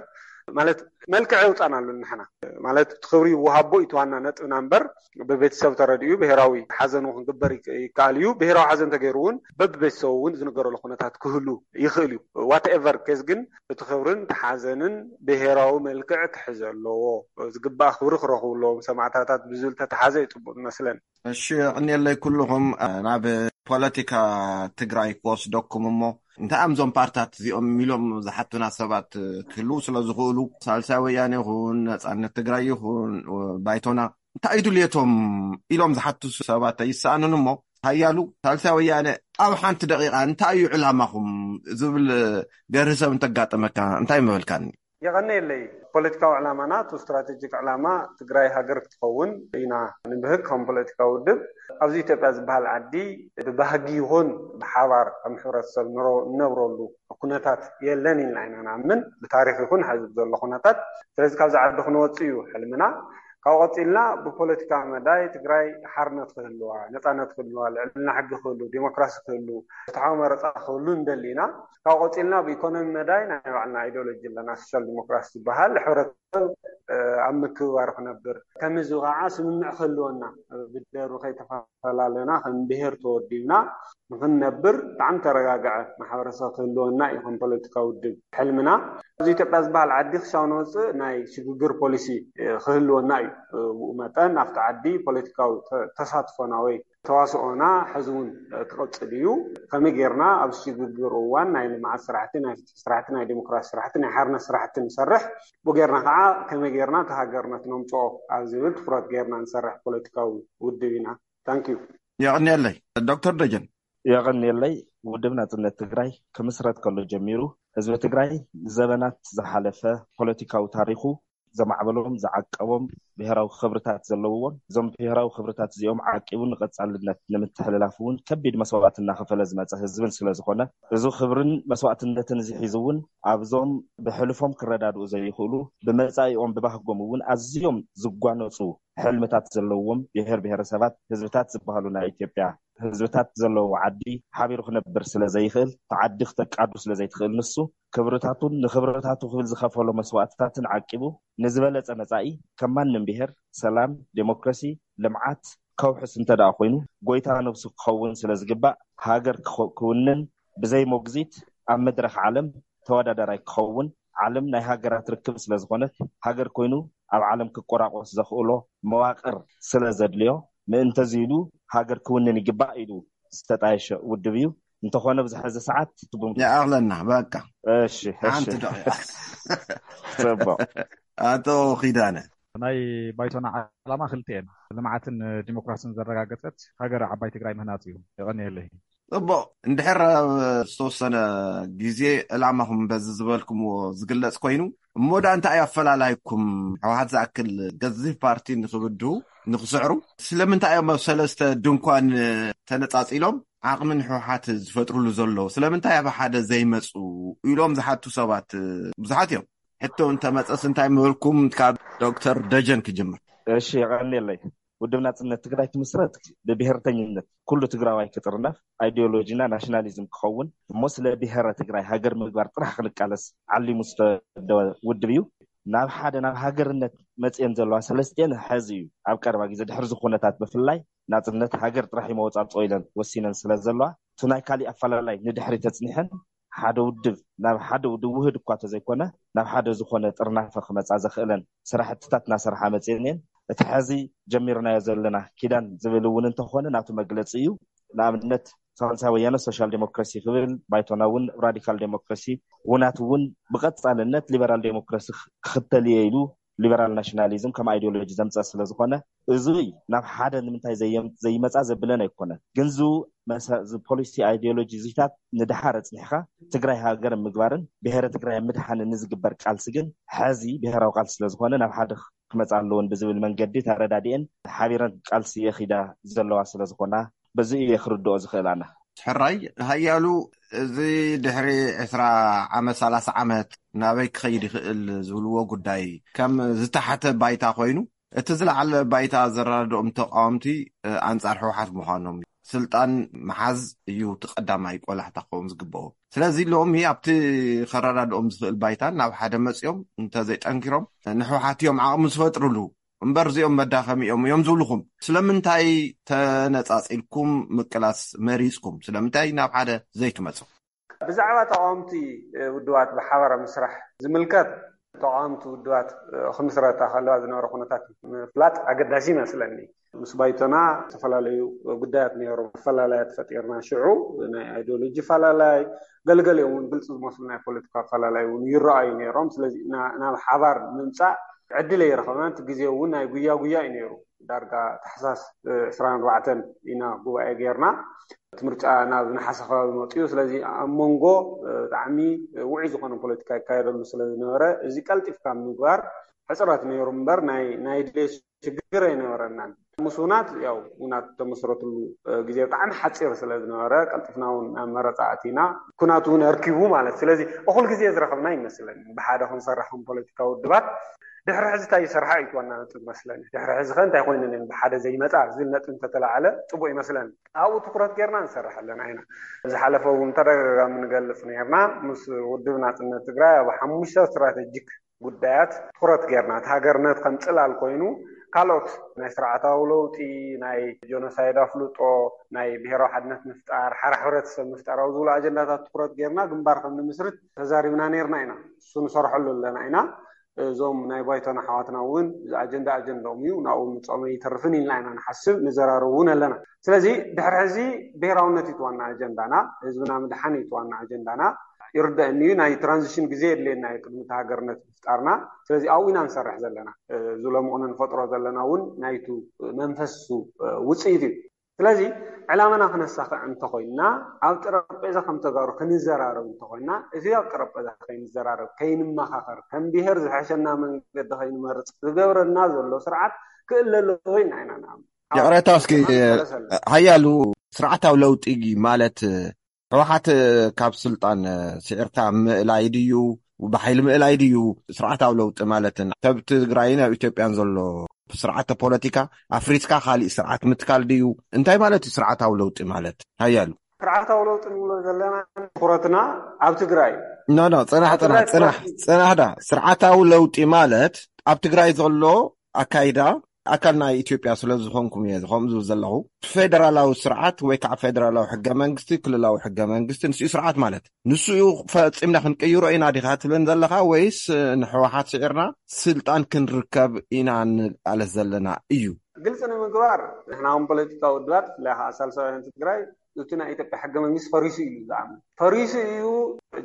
ማለት፣ መልክዕ የውፃናሉ ንሕና። ማለት፣ እቲ ክብሪ ይወሃቦ እዩ እቲ ዋና ነጥብና እምበር፣ ብቤተሰብ ተረዲኡ ብሄራዊ ሓዘን እውን ክግበር ይክ- ይከኣል እዩ። ብሄራዊ ሓዘን ተገይሩ እውን በብቤተሰቡ እውን ዝንገረሉ ኩነታት ክህሉ ይኽእል እዩ። ዋትኤቨር ኬዝ ግን እቲ ክብርን እቲ ሓዘንን ብሄራዊ መልክዕ ክሕዘ ኣለዎ። ዝግባእ ክብሪ ክረኽቡ ኣለዎም ሰማዕታታት ብዝብል ተተሓዘ እዩ ፅቡቅ ዝመስለኒ። እሺ፣ የቐንየለይ ኩልኹም። ናብ ፖለቲካ ትግራይ ክወስደኩም እሞ፣ እንታይ እዮም እዞም ፓርታት እዚኦም ኢሎም ዝሓቱና ሰባት ክህልዉ ስለ ዝኽእሉ፣ ሳልሳይ ወያነ ይኹን፣ ነጻነት ትግራይ ይኹን፣ ባይቶና፣ እንታይ እዩ ድልየቶም ኢሎም ዝሓቱ ሰባት ኣይሰኣኑን እሞ፣ ሃያሉ ሳልሳይ ወያነ ኣብ ሓንቲ ደቂቓ እንታይ እዩ ዕላማኹም ዝብል ገርህ ሰብ እንተጋጠመካ እንታይ ምበልካኒ? የቐነየለይ። ፖለቲካዊ ዕላማና፣ እቲ ስትራቴጂክ ዕላማ ትግራይ ሃገር ክትኸውን ኢና ንብህግ ከም ፖለቲካዊ ውድብ። ኣብዚ ኢትዮጵያ ዝበሃል ዓዲ ብባህጊ ይኹን ብሓባር ከም ሕብረተሰብ ንሮ- ንነብረሉ ኩነታት የለን ኢልና ኢና ንኣምን፣ ብታሪክ ይኹን ሕዚ ዘሎ ኩነታት። ስለዚ ካብዚ ዓዲ ክንወፅእ እዩ ሕልምና። ካብኡ ቀፂልና ብፖለቲካ መዳይ ትግራይ ሓርነት ክህልዋ፣ ነፃነት ክህልዋ፣ ልዕልና ሕጊ ክህሉ፣ ዲሞክራሲ ክህሉ፣ ፍትሓዊ መረፃ ክህሉ ንደሊ ኢና። ካብ ቀፂልና ብኢኮኖሚ መዳይ ናይ ባዕልና ኣይዲዮሎጂ ኣለና፣ ሶሻል ዲሞክራሲ ዝበሃል፣ ሕብረተሰብ ኣብ ምክብባር ክነብር፣ ከም ህዝቢ ከዓ ስምምዕ ክህልወና፣ ብደሩ ከይተፈላለና ከም ብሄር ተወዲብና ንክንነብር፣ ብጣዕሚ ተረጋግዐ ማሕበረሰብ ክህልወና እዩ ከም ፖለቲካዊ ውድብ ሕልምና። እዚ ኢትዮጵያ ዝበሃል ዓዲ ክሻው ንወፅእ ናይ ሽግግር ፖሊሲ ክህልወና እዩ። ብኡ መጠን ኣብቲ ዓዲ ፖለቲካዊ ተሳትፎና ወይ ተዋስኦና ሕዚ እውን ክቕፅል እዩ። ከመይ ጌርና ኣብ ሽግግር እዋን ናይ ልምዓት ስራሕቲ፣ ናይ ፍትሒ ስራሕቲ፣ ናይ ዲሞክራሲ ስራሕቲ፣ ናይ ሓርነት ስራሕቲ ንሰርሕ፣ ብኡ ጌርና ከዓ ከመይ ጌርና እቲ ሃገር ነቲ ነምፅኦ ኣብ ዝብል ትኩረት ጌርና ንሰርሕ ፖለቲካዊ ውድብ ኢና። ታንኪዩ። የቐንየለይ። ዶክተር ደጀን። የቐንየለይ። ውድብ ናፅነት ትግራይ ክምስረት ከሎ ጀሚሩ ህዝቢ ትግራይ ንዘበናት ዝሓለፈ ፖለቲካዊ ታሪኹ ዘማዕበሎም፣ ዝዓቀቦም ብሄራዊ ክብርታት ዘለውዎን፣ እዞም ብሄራዊ ክብርታት እዚኦም ዓቂቡ ንቐፃልነት ንምትሕልላፍ እውን ከቢድ መስዋእቲ እናኸፈለ ዝመፀ ህዝብን ስለ ዝኾነ፣ እዚ ክብርን መስዋእትነትን እዚ ሒዙ እውን ኣብዞም ብሕልፎም ክረዳድኡ ዘይኽእሉ፣ ብመፃኢኦም ብባህጎም እውን ኣዝዮም ዝጓነፁ ሕልምታት ዘለውዎም ብሄር ብሄረሰባት ህዝብታት ዝበሃሉ ናይ ኢትዮጵያ ህዝብታት ዘለዎ ዓዲ ሓቢሩ ክነብር ስለ ዘይኽእል፣ እቲ ዓዲ ክተቃዱ ስለ ዘይትኽእል፣ ንሱ ክብርታቱን ንክብርታቱ ክብል ዝኸፈሎ መስዋእትታትን ዓቂቡ ንዝበለጸ መጻኢ ከም ማንም ብሄር ሰላም፣ ዴሞክራሲ፣ ልምዓት ከውሕስ እንተ ደኣ ኮይኑ፣ ጎይታ ነብሱ ክኸውን ስለ ዝግባእ፣ ሃገር ክኸ- ክውንን ብዘይ ሞግዚት ኣብ መድረኽ ዓለም ተወዳዳራይ ክኸውን፣ ዓለም ናይ ሃገራት ርክብ ስለ ዝኾነት፣ ሃገር ኮይኑ ኣብ ዓለም ክቆራቆስ ዘኽእሎ መዋቕር ስለ ዘድልዮ፣ ምእንተዚ ኢሉ ሃገር ክውንን ይግባእ ኢሉ ዝተጣየሸ ውድብ እዩ። እንተኾነ ኣብዚ ሕዚ ሰዓት ትቡም ይኣኽለና። በቃ እሺ፣ እሺ። ሓንቲ ደቂቃ። ጽቡቕ። ኣቶ ኪዳነ። ናይ ባይቶና ዓላማ ክልተ እየን። ልምዓትን ዲሞክራስን ዘረጋገጸት ሃገር ዓባይ ትግራይ ምህናጽ እዩ። የቐንየለይ። ጽቡቕ። እንድሕር ኣብ ዝተወሰነ ግዜ ዕላማኹም በዚ ዝበልኩምዎ ዝግለጽ ኮይኑ፣ እሞ ደኣ እንታይ እዩ ኣፈላላይኩም? ህወሓት ዝኣክል ገዚፍ ፓርቲ ንኽብድሁ፣ ንኽስዕሩ፣ ስለምንታይ እዮም ኣብ ሰለስተ ድንኳን ተነጻጺሎም ዓቕሚ ንህወሓት ዝፈጥሩሉ ዘለዉ? ስለምንታይ ኣብ ሓደ ዘይመጹ? ኢሎም ዝሓቱ ሰባት ብዙሓት እዮም። ሕቶ እንተመጸስ እንታይ ምበልኩም? ካብ ዶክተር ደጀን ክጅምር። እሺ፣ የቐንየለይ። ውድብ ናጽነት ትግራይ ክምስረት ብብሄርተኝነት ኩሉ ትግራዋይ ክጥርነፍ፣ ኣይዲዮሎጂና ናሽናሊዝም ክኸውን፣ እሞ ስለ ብሄረ ትግራይ ሃገር ምግባር ጥራሕ ክንቃለስ ዓሊሙ ዝተወደበ ውድብ እዩ። ናብ ሓደ፣ ናብ ሃገርነት መፅኤን ዘለዋ ሰለስቲኤን ሐዚ እዩ። ኣብ ቀረባ ግዜ ድሕሪ እዚ ኩነታት ብፍላይ ናፅነት ሃገር ጥራሕ እዩ መወፃፅኦ ኢለን ወሲነን ስለ ዘለዋ እቲ ናይ ካሊእ ኣፈላላይ ንድሕሪ ተፅኒሐን ሓደ ውድብ ናብ ሓደ ውድብ ውህድ እኳ ተዘይኮነ ናብ ሓደ ዝኾነ ጥርናፈ ክመፃ ዘኽእለን ስራሕትታት እናሰርሓ መፅኤን እየን። እቲ ሐዚ ጀሚርናዮ ዘለና ኪዳን ዝብል እውን እንተኾነ ናቱ መግለፂ እዩ። ንኣብነት ሳልሳይ ወያነ ሶሻል ዴሞክራሲ ክብል፣ ባይቶና እውን ራዲካል ዴሞክራሲ፣ ውናት እውን ብቐፃልነት ሊበራል ዴሞክራሲ ክኽተል እየ ኢሉ ሊበራል ናሽናሊዝም ከም ኣይዲዮሎጂ ዘምፀ ስለ ዝኾነ፣ እዚ ናብ ሓደ ንምንታይ ዘየም- ዘይመፃ ዘብለን ኣይኮነን። ግን ዙ መሰ- ዚ ፖሊሲ ኣይዲዮሎጂ ዚታት ንድሓር ኣፅኒሕካ ትግራይ ሃገር ምግባርን ብሄረ ትግራይ ምድሓንን ንዝግበር ቃልሲ ግን ሐዚ ብሄራዊ ቃልሲ ስለ ዝኾነ ናብ ሓደ ክመፃ ኣለዎን ብዝብል መንገዲ ተረዳዲኤን ሓቢረን ቃልሲ የኺዳ ዘለዋ ስለ ዝኾና በዚ እየ ክርድኦ ዝኽእል ኣነ። ሕራይ ሃያሉ፣ እዚ ድሕሪ ዕስራ ዓመት ሰላሳ ዓመት ናበይ ክኸይድ ይኽእል ዝብልዎ ጉዳይ ከም ዝተሓተ ባይታ ኮይኑ፣ እቲ ዝለዓለ ባይታ ዘረዳድኦም ተቃወምቲ ኣንጻር ህወሓት ምዃኖም እዩ። ስልጣን ምሓዝ እዩ እቲ ቀዳማይ ቆላሕታ ክኸውን ዝግብኦ። ስለዚ ሎሚ ኣብቲ ከረዳድኦም ዝኽእል ባይታን ናብ ሓደ መፅኦም እንተዘይጠንኪሮም ንህወሓት እዮም ዓቕሚ ዝፈጥርሉ እምበር እዚኦም መዳኸሚ እዮም እዮም ዝብልኹም። ስለምንታይ ተነፃፂልኩም ምቅላስ መሪፅኩም? ስለምንታይ ናብ ሓደ ዘይትመፁ? ብዛዕባ ተቃወምቲ ውድባት ብሓባር ምስራሕ ዝምልከት፣ ተቃወምቲ ውድባት ክምስረታ ከለዋ ዝነበረ ኩነታት ምፍላጥ ኣገዳሲ ይመስለኒ። ምስ ባይቶና ዝተፈላለዩ ጉዳያት ነይሮም፣ ኣፈላላያት ፈጢርና። ሽዑ ናይ ኣይዲዮሎጂ ፈላላይ፣ ገለገሊኦም እውን ግልፂ ዝመስሉ ናይ ፖለቲካ ኣፈላላይ እውን ይረኣዩ ነይሮም። ስለዚ ናብ ሓባር ምምፃእ ዕድል ኣይረኸብናን። እቲ ግዜ እውን ናይ ጉያ ጉያ እዩ ነይሩ። ዳርጋ ታሕሳስ ዕስራን ኣርባዕተን ኢና ጉባኤ ጌርና። እቲ ምርጫ ናብ ነሓሰ ከባቢ መፅኡ። ስለዚ ኣብ መንጎ ብጣዕሚ ውዑይ ዝኾነ ፖለቲካ ይካየደሉ ስለ ዝነበረ፣ እዚ ቀልጢፍካ ምግባር ሕፅረት ነይሩ እምበር ናይ ናይ ድሌት ሽግር ኣይነበረናን። ምስ ውናት ያው ውናት ተመስረትሉ ግዜ ብጣዕሚ ሓፂር ስለ ዝነበረ፣ ቀልጢፍና እውን ናብ መረፃ ኣቲና። ኩናት እውን ኣርኪቡ ማለት። ስለዚ እኹል ግዜ ዝረኸብና ይመስለኒ ብሓደ ክንሰርሕ ከም ፖለቲካዊ ውድባት። ድሕሪ ሕዚ እንታይ ይሰርሓ እዩ ዋና ነጥብ መስለኒ። ድሕሪ ሕዚ ከ እንታይ ኮይነን እየን ብሓደ ዘይመፃ ዝብል ነጥብ እንተተላዓለ ፅቡቅ ይመስለኒ። ኣብኡ ትኩረት ጌርና ንሰርሕ ኣለና ኢና። ዝሓለፈ እውን ተደጋጋሚ ንገልፅ ነርና። ምስ ውድብ ናፅነት ትግራይ ኣብ ሓሙሽተ ስትራቴጂክ ጉዳያት ትኩረት ጌርና፣ እቲ ሃገርነት ከም ፅላል ኮይኑ ካልኦት ናይ ስርዓታዊ ለውጢ፣ ናይ ጀኖሳይድ ኣፍልጦ፣ ናይ ብሄራዊ ሓድነት ምፍጣር፣ ሓራ ሕብረተሰብ ምፍጣር ኣብ ዝብሉ ኣጀንዳታት ትኩረት ጌርና ግንባር ከም ንምስርት ተዛሪብና ነርና ኢና። እሱ ንሰርሐሉ ኣለና ኢና። እዞም ናይ ባይቶና ኣሕዋትና እውን እዚ ኣጀንዳ ኣጀንዳኦም እዩ፣ ናብኡ ምፅኦም ኣይተርፍን ኢልና ኢና ንሓስብ፣ ንዘራረብ እውን ኣለና። ስለዚ ድሕሪ ሕዚ ብሄራውነት እዩ እቲ ዋና ኣጀንዳና፣ ህዝብና ምድሓን እዩ እቲ ዋና ኣጀንዳና። ይርደአኒ እዩ፣ ናይ ትራንዚሽን ግዜ የድልየና እዩ ቅድሚ እቲ ሃገርነት ምፍጣርና። ስለዚ ኣብኡ ኢና ንሰርሕ ዘለና። እዚ ሎሚ ቅነ ንፈጥሮ ዘለና እውን ናይቱ መንፈሱ ውፅኢት እዩ። ስለዚ ዕላማና ክነሳኽዕ እንተኾይንና፣ ኣብ ጠረጴዛ ከም ተጋሩ ክንዘራረብ እንተኾይንና፣ እዚ ኣብ ጠረጴዛ ከይንዘራረብ፣ ከይንመኻኸር፣ ከም ብሄር ዝሐሸና መንገዲ ከይንመርፅ ዝገብረና ዘሎ ስርዓት ክእለ ኣለዎ ኢልና ኢና ንኣምን። ይቕሬታ እስኪ ሃያሉ፣ ስርዓታዊ ለውጢ ማለት ህወሓት ካብ ስልጣን ስዒርካ ምእላይ ድዩ? ብሓይሊ ምእላይ ድዩ ስርዓታዊ ለውጢ ማለትን? ካብ ትግራይን ኣብ ኢትዮጵያን ዘሎ ስርዓተ ፖለቲካ ኣፍሪስካ ካሊእ ስርዓት ምትካል ድዩ? እንታይ ማለት እዩ ስርዓታዊ ለውጢ ማለት? ሃያሉ። ስርዓታዊ ለውጢ ንብሎ ዘለና ትኩረትና ኣብ ትግራይ እዩ። ኖ ኖ፣ ፅናሕ ኣብ ትግራይ ፅናሕ ፅናሕ ፅናሕ ዳ። ስርዓታዊ ለውጢ ማለት ኣብ ትግራይ ዘሎ ኣካይዳ ኣካል ናይ ኢትዮጵያ ስለ ዝኾንኩም እየ ከምኡ ዝብል ዘለኹ። ፌደራላዊ ስርዓት ወይ ከዓ ፌደራላዊ ሕገ መንግስቲ፣ ክልላዊ ሕገ መንግስቲ፣ ንስኡ ስርዓት ማለት ንስኡ ፈፂምና ክንቅይሮ ኢና ዲኻ ትብለን ዘለኻ? ወይስ ንሕወሓት ስዒርና ስልጣን ክንርከብ ኢና ንቃለስ ዘለና እዩ? ግልፂ ንምግባር ንሕና ከም ፖለቲካዊ ውድባት ብፍላይ ከዓ ሳልሳውያን ትግራይ እቲ ናይ ኢትዮጵያ ሕገ መንግስቲ ፈሪሱ እዩ ዝኣምን። ፈሪሱ እዩ፣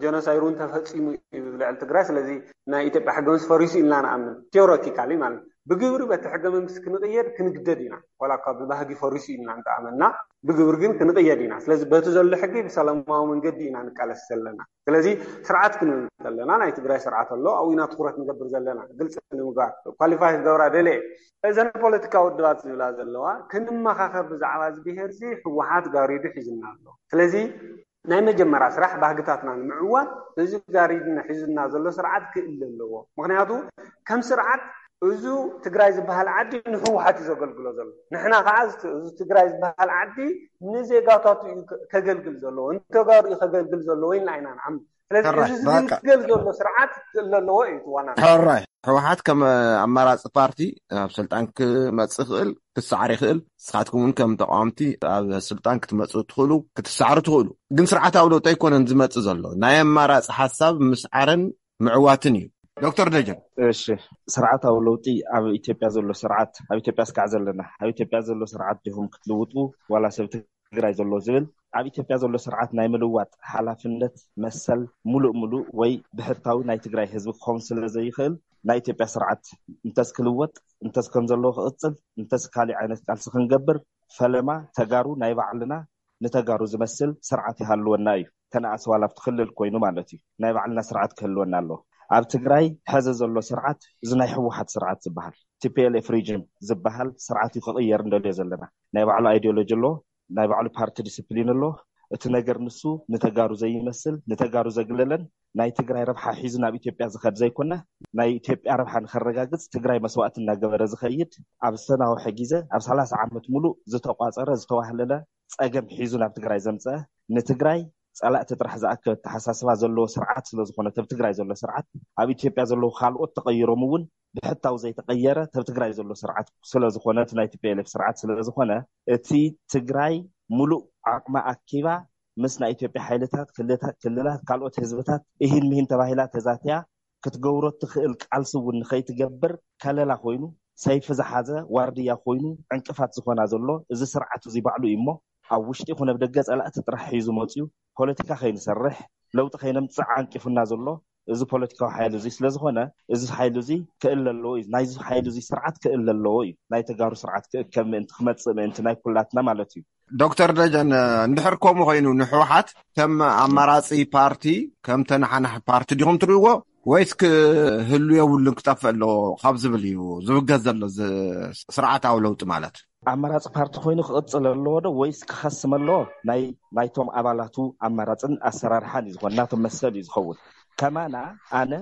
ጀኖሳይድ እውን ተፈፂሙ እዩ ልዕሊ ትግራይ። ስለዚ ናይ ኢትዮጵያ ሕገ መንግስቲ ፈሪሱ ኢልና ንኣምን፣ ቴዎሬቲካሊ ማለት። ብግብሪ በቲ ሕገ መንግስቲ ክንቕየድ ክንግደድ ኢና። ዋላ እኳ ብባህጊ ፈሪሱ ኢልና እንተኣመንና፣ ብግብሪ ግን ክንቕየድ ኢና። ስለዚ በቲ ዘሎ ሕጊ ብሰላማዊ መንገዲ ኢና ንቃለስ ዘለና። ስለዚ ስርዓት ክንብል ከለና ናይ ትግራይ ስርዓት ኣሎ፣ ኣብኡ ኢና ትኩረት ንገብር ዘለና። ግልፂ ንምግባር፣ ኳሊፋይ ክገብራ ደልየ። እዘን ፖለቲካዊ ውድባት ዝብላ ዘለዋ ክንመኻኸር ብዛዕባ እዚ ብሄር እዚ ህወሓት ጋሪዱ ሒዝና ኣሎ። ስለዚ ናይ መጀመርያ ስራሕ ባህግታትና ንምዕዋት እዚ ጋሪድና ሒዙና ዘሎ ስርዓት ክእለ ኣለዎ። ምክንያቱ ከም ስርዓት እዚ ትግራይ ዝበሃል ዓዲ ንህወሓት እዩ ዘገልግሎ ዘሎ። ንሕና ከዓ እዚ እዚ ትግራይ ዝበሃል ዓዲ ንዜጋታቱ እዩ ከ- ከገልግል ዘለዎ፣ ንተጋሩ እዩ ከገልግል ዘለዎ ኢልና ኢና ንዓም። ስለዚ ሕራይ፣ እዚ በቃ። ዝግልገል ዘሎ ስርዓት ክእለ ኣለዎ እዩ እቲ ዋና። ሕራይ፣ ህወሓት ከም ኣማራፂ ፓርቲ ናብ ስልጣን ክመፅእ ይኽእል፣ ክሰዓር ይኽእል። ንስኻትኩም እውን ከም ተቃወምቲ ኣብ ስልጣን ክትመፅኡ ትኽእሉ፣ ክትሰዓሩ ትኽእሉ። ግን ስርዓታዊ ለውጢ ኣይኮነን ዝመፅእ ዘሎ። ናይ ኣማራፂ ሓሳብ ምስዓርን ምዕዋትን እዩ። ዶክተር ደጀን። እሺ፣ ስርዓታዊ ለውጢ ኣብ ኢትዮጵያ ዘሎ ስርዓት፣ ኣብ ኢትዮጵያ ስካዕ ዘለና፣ ኣብ ኢትዮጵያ ዘሎ ስርዓት ዲኹም ክትልውጡ ዋላ ሰብ ትግራይ ዘሎ ዝብል፣ ኣብ ኢትዮጵያ ዘሎ ስርዓት ናይ ምልዋጥ ሓላፍነት መሰል ሙሉእ ሙሉእ ወይ ብሕታዊ ናይ ትግራይ ህዝቢ ክኸውን ስለ ዘይኽእል፣ ናይ ኢትዮጵያ ስርዓት እንተስ ክልወጥ፣ እንተስ ከም ዘለዎ ክቕፅል፣ እንተስ ካሊእ ዓይነት ቃልሲ ክንገብር፣ ፈለማ ተጋሩ ናይ ባዕልና፣ ንተጋሩ ዝመስል ስርዓት ይሃልወና እዩ። ተነኣስ ዋላ ኣብቲ ክልል ኮይኑ ማለት እዩ። ናይ ባዕልና ስርዓት ክህልወና ኣለዎ። ኣብ ትግራይ ሕዚ ዘሎ ስርዓት እዚ ናይ ህወሓት ስርዓት ዝበሃል፣ ቲ ፒ ኤል ኤፍ ሪጅም ዝበሃል ስርዓት እዩ ክቕየር እንደልዮ ዘለና። ናይ ባዕሉ ኣይዲዮሎጂ ኣለዎ፣ ናይ ባዕሉ ፓርቲ ዲስፕሊን ኣለዎ። እቲ ነገር ንሱ ንተጋሩ ዘይመስል፣ ንተጋሩ ዘግለለን፣ ናይ ትግራይ ረብሓ ሒዙ ናብ ኢትዮጵያ ዝኸድ ዘይኮነ፣ ናይ ኢትዮጵያ ረብሓ ንኸረጋግፅ ትግራይ መስዋእቲ እናገበረ ዝኸይድ፣ ኣብ ዝተናውሐ ግዜ፣ ኣብ ሰላሳ ዓመት ሙሉእ ዝተቋፀረ፣ ዝተዋህለለ ፀገም ሒዙ ናብ ትግራይ ዘምፀአ፣ ንትግራይ ፀላእቲ ጥራሕ ዝኣክብ ኣተሓሳስባ ዘለዎ ስርዓት ስለ ዝኾነ፣ ኣብ ትግራይ ዘሎ ስርዓት፣ ኣብ ኢትዮጵያ ዘለዉ ካልኦት ተቐይሮም እውን ብሕታዊ ዘይተቐየረ፣ ኣብ ትግራይ ዘሎ ስርዓት ስለ ዝኾነ፣ እቲ ናይ ቲ ፒ ኤል ኤፍ ስርዓት ስለ ዝኾነ፣ እቲ ትግራይ ሙሉእ ዓቕማ ኣኪባ ምስ ናይ ኢትዮጵያ ሓይልታት፣ ክልታ-፣ ክልላት፣ ካልኦት ህዝብታት እሂን ምሂን ተባሂላ ተዛትያ ክትገብሮ እትኽእል ቃልሲ እውን ንኸይትገብር ከለላ ኮይኑ፣ ሰይፊ ዝሓዘ ዋርድያ ኮይኑ ዕንቅፋት ዝኾና ዘሎ እዚ ስርዓት እዚ ባዕሉ እዩ እሞ፣ ኣብ ውሽጢ ይኹን ኣብ ደገ ጸላእቲ ጥራሕ ሒዙ መፅዩ፣ ፖለቲካ ከይንሰርሕ፣ ለውጢ ከይነምፅእ ዓንቂፉና ዘሎ እዚ ፖለቲካዊ ሓይሊ እዚ ስለ ዝኾነ፣ እዚ ሓይሊ እዚ ክእለ ኣለዎ እዩ። ናይዚ ሓይሊ እዚ ስርዓት ክእለ ኣለዎ እዩ። ናይ ተጋሩ ስርዓት ክእከብ ምእንቲ፣ ክመፅእ ምእንቲ፣ ናይ ኩላትና ማለት እዩ። ዶክተር ደጀን፣ እንድሕር ከምኡ ኮይኑ ንህወሓት ከም ኣማራፂ ፓርቲ፣ ከም ተነሓናሒ ፓርቲ ዲኹም ትርእይዎ፣ ወይስ ክህሉ የብሉን፣ ክጠፍእ ኣለዎ ካብ ዝብል እዩ ዝውገዝ ዘሎ፣ እዚ ስርዓታዊ ለውጢ ማለት? ኣማራፂ ፓርቲ ኮይኑ ክቕፅል ኣለዎ ዶ ወይስ ክኸስም ኣለዎ? ናይ፣ ናይቶም ኣባላቱ ኣማራፅን ኣሰራርሓን እዩ ዝኾን፣ ናቶም መሰል እዩ ዝኸውን። ከማና ኣነ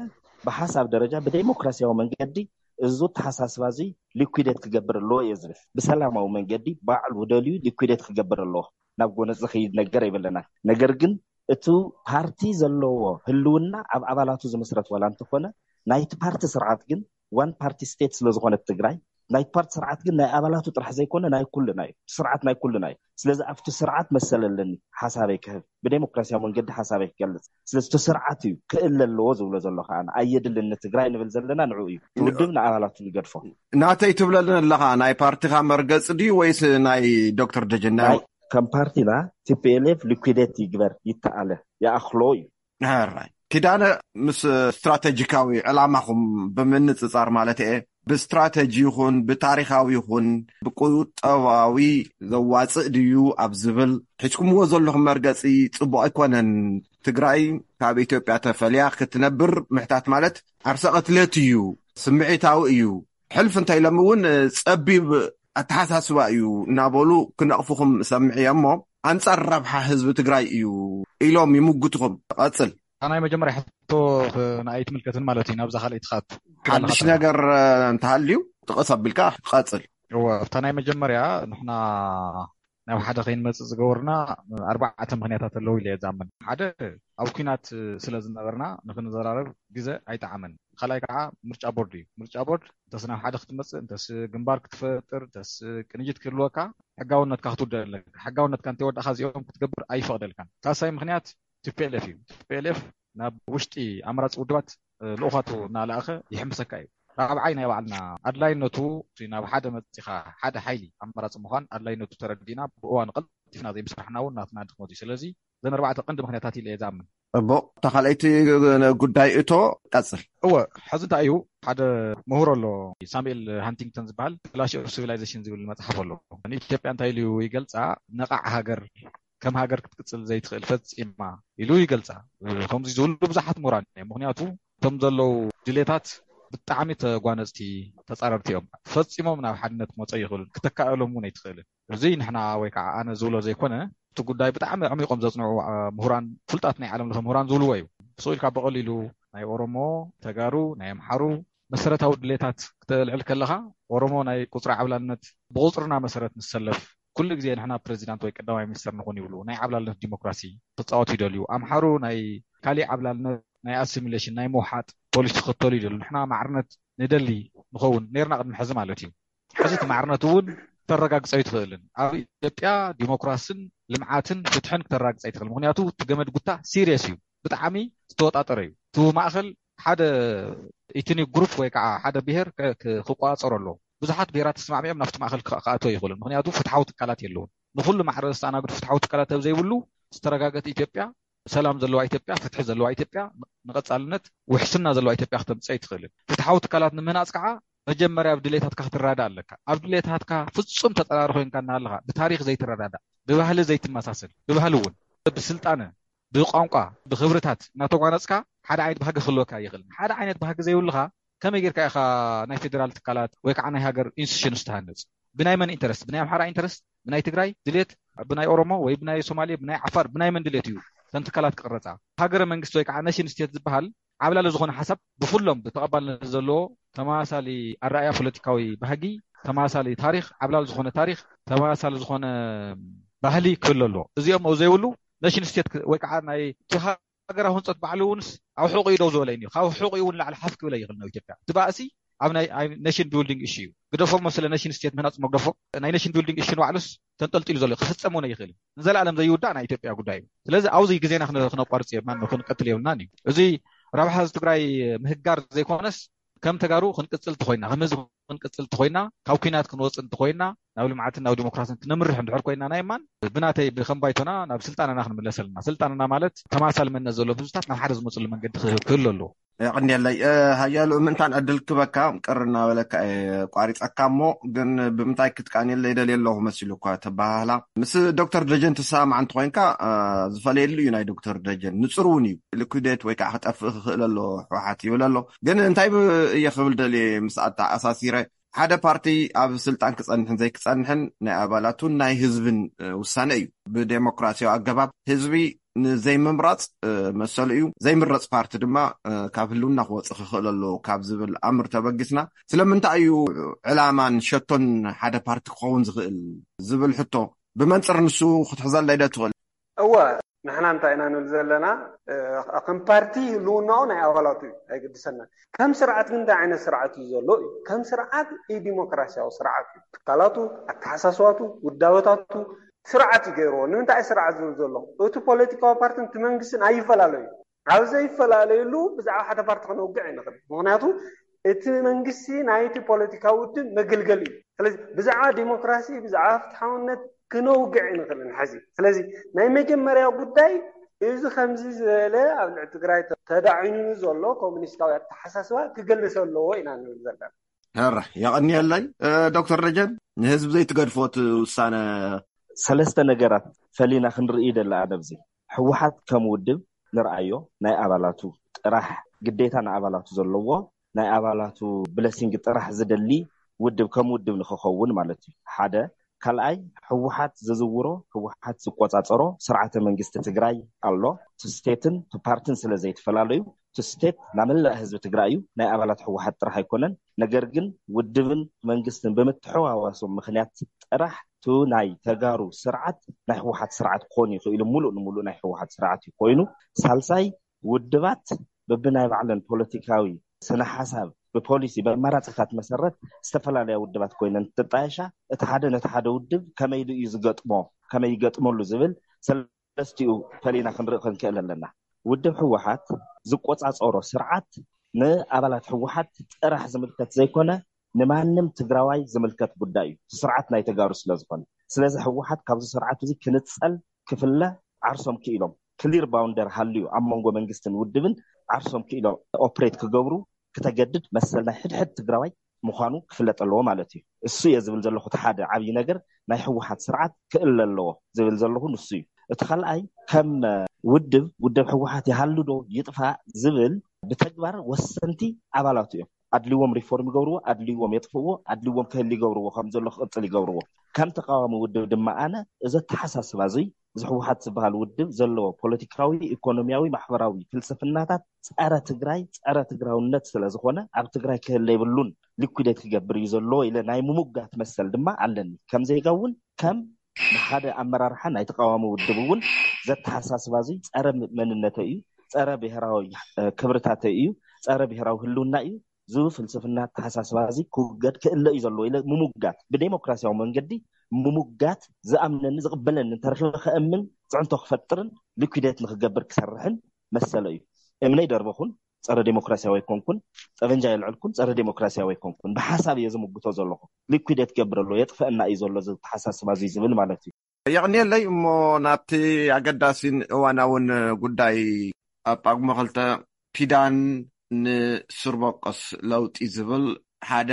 ብሓሳብ ደረጃ ብዴሞክራሲያዊ መንገዲ እዚ ኣተሓሳስባ እዚ ሊኩዴት ክገብር ኣለዎ እየ ዝብል። ብሰላማዊ መንገዲ ባዕሉ ደልዩ ሊኩዴት ክገብር ኣለዎ። ናብ ጎነፅ ዝኸይድ ነገር የብለና። ነገር ግን እቲ ፓርቲ ዘለዎ ህልውና ኣብ ኣባላቱ ዝምስረት ዋላ እንተኾነ፣ ናይቲ ፓርቲ ስርዓት ግን ዋን ፓርቲ ስቴት ስለ ዝኾነት ትግራይ፣ ናይቲ ፓርቲ ስርዓት ግን ናይ ኣባላቱ ጥራሕ ዘይኮነ ናይ ኩልና እዩ። እቲ ስርዓት ናይ ኩልና እዩ። ስለዚ ኣብቲ ስርዓት መሰል ኣለኒ ሓሳበይ ክህብ፣ ብዴሞክራሲያዊ መንገዲ ሓሳበይ ክገልፅ። ስለዚ እቲ ስርዓት እዩ ክእለ ኣለዎ ዝብሎ ዘሎ ከዓ፣ ኣየድልን ንትግራይ ንብል ዘለና ንዕኡ እዩ። እቲ ውድብ ንኣባላቱ ይገድፎ። ናተይ ትብለልን ኣለኻ፣ ናይ ፓርቲኻ መርገፂ ድዩ ወይስ ናይ ዶክተር ደጀን? ናይ ናይ ከም ፓርቲና ቲ ፒ ኤል ኤፍ ሊኩዴት ይግበር፣ ይተኣለ፣ ይኣኽሎ እዩ። ሕራይ። ኪዳነ፣ ምስ ስትራተጂካዊ ዕላማኹም ብምንጽጻር ማለት እየ፣ ብስትራተጂ ይኹን ብታሪኻዊ ይኹን ብቁጠባዊ ዘዋጽእ ድዩ ኣብ ዝብል ሒዝኩምዎ ዘለኹም መርገጺ ጽቡቕ ኣይኮነን። ትግራይ ካብ ኢትዮጵያ ተፈልያ ክትነብር ምሕታት ማለት ዓርሰ ቅትለት እዩ፣ ስምዒታዊ እዩ። ሕልፍ እንተ ኢሎም እውን ጸቢብ ኣተሓሳስባ እዩ እናበሉ ክነቕፉኹም እሰምዕ እየ እሞ፣ ኣንጻር ረብሓ ህዝቢ ትግራይ እዩ ኢሎም ይምጉትኹም። ቀጽል። እታ ናይ መጀመርያ ሕቶ ኽ-፣ ንኣይ ትምልከትን ማለት እዩ፣ ናብዛ ካልኣይቲ ከኣ ሓድሽ ትብለና ነገር፣ እ፣ እንተሃልዩ ጥቕስ ኣቢልካ ቀጽል። እወ፣ እታ ናይ መጀመርያ ንሕና ናብ ሓደ ከይንመጽእ ዝገበሩና ኣርባዕተ ምኽንያታት ኣለዉ ኢለ እየ ዝኣምን። ሓደ፣ ኣብ ኲናት ስለ ዝነበርና ንኽንዘራረብ ግዘ ኣይጠዓመን። ካልኣይ ከዓ ምርጫ ቦርድ እዩ። ምርጫ ቦርድ እንተስ ናብ ሓደ ክትመጽእ፣ እንተስ ግንባር ክትፈጥር፣ እንተስ ቅንጅት ክህልወካ፣ ሕጋውነትካ ክትውደእ ኣለካ። ሕጋውነትካ እንተይወዳእካ እዚኦም ክትገብር ኣይፈቕደልካን። ሳልሳይ ምኽንያት ቲ ፒ ኤል ኤፍ እዩ። ቲ ፒ ኤል ኤፍ ናብ ውሽጢ ኣማራፂ ውድባት፣ እ፣ ልኡኻቱ እናለኣኸ ይሕምሰካ እዩ። ራብዓይ ናይ ባዕልና ኣድላይነቱ፣ እቲ ናብ ሓደ መፂኻ ሓደ ሓይሊ ኣማራፂ ምዃን ኣድላይነቱ ተረዲእና ብእዋኑ ቀልጢፍና ዘይምስራሕና እውን ናትና ድኽመት እዩ። ስለዚ እዘን ኣርባዕተ ቀንዲ ምኽንያታት ኢለ እየ ዝኣምን። እቦ፣ እታ ካልኣይቲ ጉዳይ እቶ ቀጽል። እወ፣ ሕዚ እንታይ እዩ፣ ሓደ ምሁር ኣሎ፣ ሳሙኤል ሃንቲንግተን ዝበሃል፣ ክላሽ ኦፍ ሲቪላይዜሽን ዝብል መጽሓፍ ኣሎ። ንኢትዮጵያ እንታይ ኢሉ ይገልጻ? ነቓዕ ሃገር፣ ከም ሃገር ክትቅጽል ዘይትኽእል ፈጺማ ኢሉ ይገልጻ። ከምዚ ዝብሉ ብዙሓት ምሁራን እዮም። ምኽንያቱ እቶም ዘለዉ ድሌታት ብጣዕሚ ተጓነጽቲ፣ ተጻረርቲ እዮም። ፈጺሞም ናብ ሓድነት ክመጹ ኣይኽእሉን። ክተካእሎም እውን ኣይትኽእልን። እዚ ንሕና ወይ ከዓ ኣነ ዝብሎ ዘይኮነ፣ እቲ ጉዳይ ብጣዕሚ ኣዕሚቖም ዘጽንዑ፣ አ፣ ምሁራን፣ ፍሉጣት ናይ ዓለም ለኸ ምሁራን ዝብልዎ እዩ። ስቕ ኢልካ ብቐሊሉ ናይ ኦሮሞ፣ ተጋሩ፣ ናይ ኣምሓሩ መሰረታዊ ድሌታት ክተልዕል ከለኻ፣ ኦሮሞ ናይ ቁጽሪ ዓብላልነት ብቑጽርና መሰረት ንሰለፍ፣ ኩሉ ግዜ ንሕና ፕሬዚዳንት ወይ ቀዳማይ ሚኒስተር ንኹን ይብሉ። ናይ ዓብላልነት ዲሞክራሲ ክፃወቱ ይደልዩ። ኣምሓሩ ናይ ካሊእ ዓብላልነት፣ ናይ ኣሲሚሌሽን፣ ናይ ምውሓጥ ፖሊሲ ክኽተሉ ይደልዩ። ንሕና ማዕርነት ንደሊ ንኸውን ነርና ቅድሚ ሕዚ ማለት እዩ። ሕዚ እቲ ማዕርነት እውን ክተረጋግፀ ኣይትኽእልን። ኣብ ኢትዮጵያ ዲሞክራስን ልምዓትን ፍትሕን ክተረጋግፀ ኣይትኽእል። ምክንያቱ እቲ ገመድ ጉታ ሲሪየስ እዩ፣ ብጣዕሚ ዝተወጣጠረ እዩ። እቲ ማእኸል ሓደ ኢትኒክ ግሩፕ ወይ ከዓ ሓደ ብሄር ክቋፀሮ ኣለዎ። ብዙሓት ብሄራት ተስማዕሚዖም ናብቲ ማእኸል ክኣትዎ ይኽእሉ፣ ምክንያቱ ፍትሓዊ ትካላት የለውን። ንኩሉ ማሕበረሰብ ዝተኣናግዱ ፍትሓዊ ትካላት ኣብ ዘይብሉ ዝተረጋገት ኢትዮጵያ፣ ሰላም ዘለዋ ኢትዮጵያ፣ ፍትሒ ዘለዋ ኢትዮጵያ፣ ንቐፃልነት ውሕስና ዘለዋ ኢትዮጵያ ክተምፅእ ኣይትኽእልን። ፍትሓዊ ትካላት ንምህናፅ ከዓ መጀመርያ ኣብ ድሌታትካ ክትረዳእ ኣለካ። ኣብ ድሌታትካ ፍፁም ተፃራሪ ኮይንካ እናሃለካ ብታሪክ ዘይትረዳዳእ፣ ብባህሊ ዘይትመሳሰል፣ ብባህሊ እውን፣ ብስልጣነ፣ ብቋንቋ፣ ብክብርታት እናተጓነፅካ ሓደ ዓይነት ባህጊ ክህልወካ ይኽእል። ሓደ ዓይነት ባህጊ ዘይብልካ ከመይ ጌርካ ኢኻ ናይ ፌዴራል ትካላት ወይ ከዓ ናይ ሃገር ኢንስቲቱሽንስ ትሃንፅ? ብናይ መን ኢንተረስት? ብናይ ኣምሓራ ኢንተረስት? ብናይ ትግራይ ድሌት? ብናይ ኦሮሞ ወይ ብናይ ሶማሌ፣ ብናይ ዓፋር፣ ብናይ መን ድሌት እዩ ተን ትካላት ክቕረፃ? ሃገረ መንግስቲ ወይ ከዓ ነሽን ስቴት ዝበሃል ዓብላሊ ዝኾነ ሓሳብ ብኩሎም ብተቐባልነት ዘለዎ ተመሳሳሊ ኣረኣያ ፖለቲካዊ ባህጊ፣ ተመሳሳሊ ታሪክ፣ ዓብላሊ ዝኾነ ታሪክ፣ ተመሳሳሊ ዝኾነ ባህሊ ክህሉ ኣለዎ። እዚኦም ኣብ ዘይብሉ ነሽን ስቴት ወይ ከዓ ናይ ሃገራዊ ህንፀት ባዕሉ እውንስ ኣብ ሕቑ ደው ዝበለ እዩ። ካብ ሕቑ እውን ላዕሊ ሓፍ ክብል ኣይኽእል ነው ኢትዮጵያ። እቲ ባእሲ ኣብ ናይ ነሽን ቢልዲንግ እሺ እዩ። ግደፎ መስለ ነሽን ስቴት ምህናፅ መግደፎ ናይ ነሽን ቢልዲንግ እሺ ንባዕሉስ ተንጠልጢሉ ዘሎ ክፍፀም እውን ኣይኽእልን። ንዘለኣለም ዘይውዳእ ናይ ኢትዮጵያ ጉዳይ እዩ። ስለዚ ኣብዚ ግዜና ክነ- ክነቋርፅ የብልናን ክንቀትል የብልናን እዩ። እዚ ረብሓ ህዝቢ ትግራይ ምህጋር ዘይኮነስ ከም ተጋሩ ክንቅፅል እንተኮይና፣ ከም ህዝቢ ክንቅፅል እንተኮይና፣ ካብ ኩናት ክንወፅእ እንተኮይና፣ ናብ ልምዓትን ናብ ዲሞክራሲን ክነምርሕ እንድሕር ኮይና ናይ ማን ብናተይ ብከም ባይቶና ናብ ስልጣንና ክንምለስ ኣለና። ስልጣንና ማለት ተማሳሊ መንነት ዘለዎም ህዝብታት ናብ ሓደ ዝመፅሉ መንገዲ ክህ- ክህሉ ኣለዎ። የቐንየለይ። እ፣ ሃያሉ ምእንታን ዕድል ክበካ ቅር እናበለካ እየ ቋሪፀካ እሞ፣ ግን ብምንታይ ክትቃንየለይ ደልየ ኣለኹ መሲሉ እኳ ተበሃህላ። ምስ ዶክተር ደጀን ትሰማማዕ እንተኮይንካ፣ እ፣ ዝፈለየሉ እዩ ናይ ዶክተር ደጀን። ንፁር እውን እዩ። ሊኩዴት ወይ ከዓ ክጠፍእ ክኽእል ኣሎ ህወሓት ይብል ኣሎ። ግን እንታይ ብ- እየ ክብል ደልየ ምስ ኣተኣሳሲረ፣ ሓደ ፓርቲ ኣብ ስልጣን ክፀንሕን ዘይክፀንሕን ናይ ኣባላቱን ናይ ህዝብን እ፣ ውሳነ እዩ። ብዴሞክራሲያዊ ኣገባብ ህዝቢ ንዘይምምራፅ እ፣ መሰሉ እዩ። ዘይምረፅ ፓርቲ ድማ እ፣ ካብ ህልውና ክወፅእ ክኽእል ኣለዎ ካብ ዝብል ኣምር ተበጊስና፣ ስለምንታይ እዩ ዕላማን ሸቶን ሓደ ፓርቲ ክኸውን ዝኽእል ዝብል ሕቶ ብመንፅር ንሱ ክትሕዘለይ ዶ ትኽእል? እወ፣ ንሕና እንታይ ኢና ንብል ዘለና? እ፣ ከም ፓርቲ ህልውናኡ ናይ ኣባላቱ እዩ፣ ኣይገድሰናን። ከም ስርዓት ግን እንታይ ዓይነት ስርዓት እዩ ዘሎ እዩ? ከም ስርዓት ኢ ዲሞክራሲያዊ ስርዓት እዩ። ትካላቱ፣ ኣተሓሳስባቱ፣ ውዳበታቱ ስርዓት እዩ ገይርዎ። ንምንታይ ስርዓት ዝብል ዘሎ? እቲ ፖለቲካዊ ፓርትን እቲ መንግስትን ኣይፈላለዩ። ኣብ ዘይፈላለየሉ ብዛዕባ ሓደ ፓርቲ ክነውግዕ ኣይንኽእል። ምክንያቱ እቲ መንግስቲ ናይቲ ፖለቲካዊ ውድብ መገልገሊ እዩ። ስለዚ ብዛዕባ ዲሞክራሲ፣ ብዛዕባ ፍትሓውነት ክነውግዕ ኣይንኽእልን ሕዚ። ስለዚ ናይ መጀመርያ ጉዳይ እዚ ከምዚ ዝበለ ኣብ ልዕሊ ትግራይ ተዳዒኑ ዘሎ ኮሙኒስታዊ ኣተሓሳስባ ክገልስ ኣለዎ ኢና ንብል ዘለና። ሕረ የቐንየለይ። እ፣ ዶክተር ደጀን፣ ንህዝቢ ዘይትገድፎ እቲ ውሳነ? ሰለስተ ነገራት ፈሊና ክንርኢ ደላ ኣነ ኣብዚ ህወሓት ከም ውድብ ንርኣዮ ናይ ኣባላቱ ጥራሕ ግዴታ ንኣባላቱ ዘለዎ ናይ ኣባላቱ ብለሲንግ ጥራሕ ዝደሊ ውድብ ከም ውድብ ንክኸውን ማለት እዩ። ሓደ ካልኣይ ህወሓት ዝዝውሮ ህወሓት ዝቆፃፀሮ ስርዓተ መንግስቲ ትግራይ ኣሎ። እቲ ስቴትን እቲ ፓርትን ስለ ዘይተፈላለዩ እቲ ስቴት ናመላእ ህዝቢ ትግራይ እዩ። ናይ ኣባላት ህወሓት ጥራሕ ኣይኮነን። ነገር ግን ውድብን መንግስትን ብምትሕዋዋሶም ምክንያት ጥራሕ እቲ ናይ ተጋሩ ስርዓት ናይ ህወሓት ስርዓት ክኾን ይኽእሉ ሙሉእ ንሙሉእ ናይ ህወሓት ስርዓት እዩ ኮይኑ። ሳልሳይ ውድባት በብናይ ባዕለን ፖለቲካዊ ስነ ሓሳብ ብፖሊሲ ብኣማራፅታት መሰረት ዝተፈላለያ ውድባት ኮይነን ትጣየሻ እቲ ሓደ ነቲ ሓደ ውድብ ከመይ ኢሉ እዩ ዝገጥሞ ከመይ ይገጥመሉ ዝብል ሰለስቲኡ ፈሊና ክንርኢ ክንክእል ኣለና። ውድብ ህወሓት ዝቆፃፀሮ ስርዓት ንኣባላት ህወሓት ጥራሕ ዝምልከት ዘይኮነ ንማንም ትግራዋይ ዝምልከት ጉዳይ እዩ። እቲ ስርዓት ናይ ተጋሩ ስለዝኾነ ስለዚ ህወሓት ካብዚ ስርዓት እዚ ክንፀል ክፍለ ዓርሶም ክኢሎም ክሊር ባውንደር ሃልዩ ኣብ መንጎ መንግስትን ውድብን ዓርሶም ክኢሎም ኦፕሬት ክገብሩ ክተገድድ መሰል ናይ ሕድሕድ ትግራዋይ ምዃኑ ክፍለጥ ኣለዎ ማለት እዩ። እሱ እየ ዝብል ዘለኹ እቲ ሓደ ዓብዪ ነገር ናይ ህወሓት ስርዓት ክእለ ኣለዎ ዝብል ዘለኹ ንሱ እዩ። እቲ ካልኣይ ከም ውድብ ውድብ ህወሓት ይሃሉ ዶ ይጥፋእ ዝብል ብተግባር ወሰንቲ ኣባላቱ እዮም። ኣድልዎም ሪፎርም ይገብርዎ፣ ኣድልዎም የጥፍእዎ፣ ኣድልዎም ክህል ይገብርዎ፣ ከም ዘሎ ክቕፅል ይገብርዎ። ከም ተቃዋሚ ውድብ ድማ ኣነ እዚ ኣተሓሳስባ እዙይ እዚ ህወሓት ዝበሃል ውድብ ዘለዎ ፖለቲካዊ፣ ኢኮኖሚያዊ፣ ማሕበራዊ ፍልስፍናታት ፀረ ትግራይ፣ ፀረ ትግራውነት ስለዝኾነ ኣብ ትግራይ ክህለ የብሉን፣ ሊኩዴት ክገብር እዩ ዘለዎ ኢለ ናይ ምሙጋት መሰል ድማ ኣለኒ። ከም ዜጋ እውን ከም ንሓደ ኣመራርሓ ናይ ተቃዋሚ ውድብ እውን ዘተሓሳስባ እዚ ጸረ መንነተይ እዩ፣ ጸረ ብሔራዊ ክብርታተይ እዩ፣ ጸረ ብሔራዊ ህልውና እዩ ዝብል ፍልስፍና ኣተሓሳስባ እዚ ክውገድ ክእለ እዩ ዘለዎ ኢለ ምሙጋት፣ ብዴሞክራሲያዊ መንገዲ ምሙጋት፣ ዝኣምነኒ ዝቕበለኒ እንተረኺበ ከእምን፣ ፅዕንቶ ክፈጥርን ሊኩዴት ንክገብር ክሰርሕን መሰለ እዩ። እምነይ ደርበኹን ጸረ ዴሞክራሲያዊ ኣይኮንኩን፣ ጠበንጃ የልዕልኩን ጸረ ዴሞክራሲያዊ ኣይኮንኩን። ብሓሳብ እየ ዝምግቶ ዘለኹ። ሊኩዴት ገብር ኣሎ፣ የጥፈእና እዩ ዘሎ እዚ ኣተሓሳስባ እዚ ዝብል ማለት እዩ። የቕንየለይ። እሞ ናብቲ ኣገዳሲን እዋናውን ጉዳይ፣ ኣብ ጳጉመ ክልተ ኪዳን ንስርበቆስ ለውጢ ዝብል ሓደ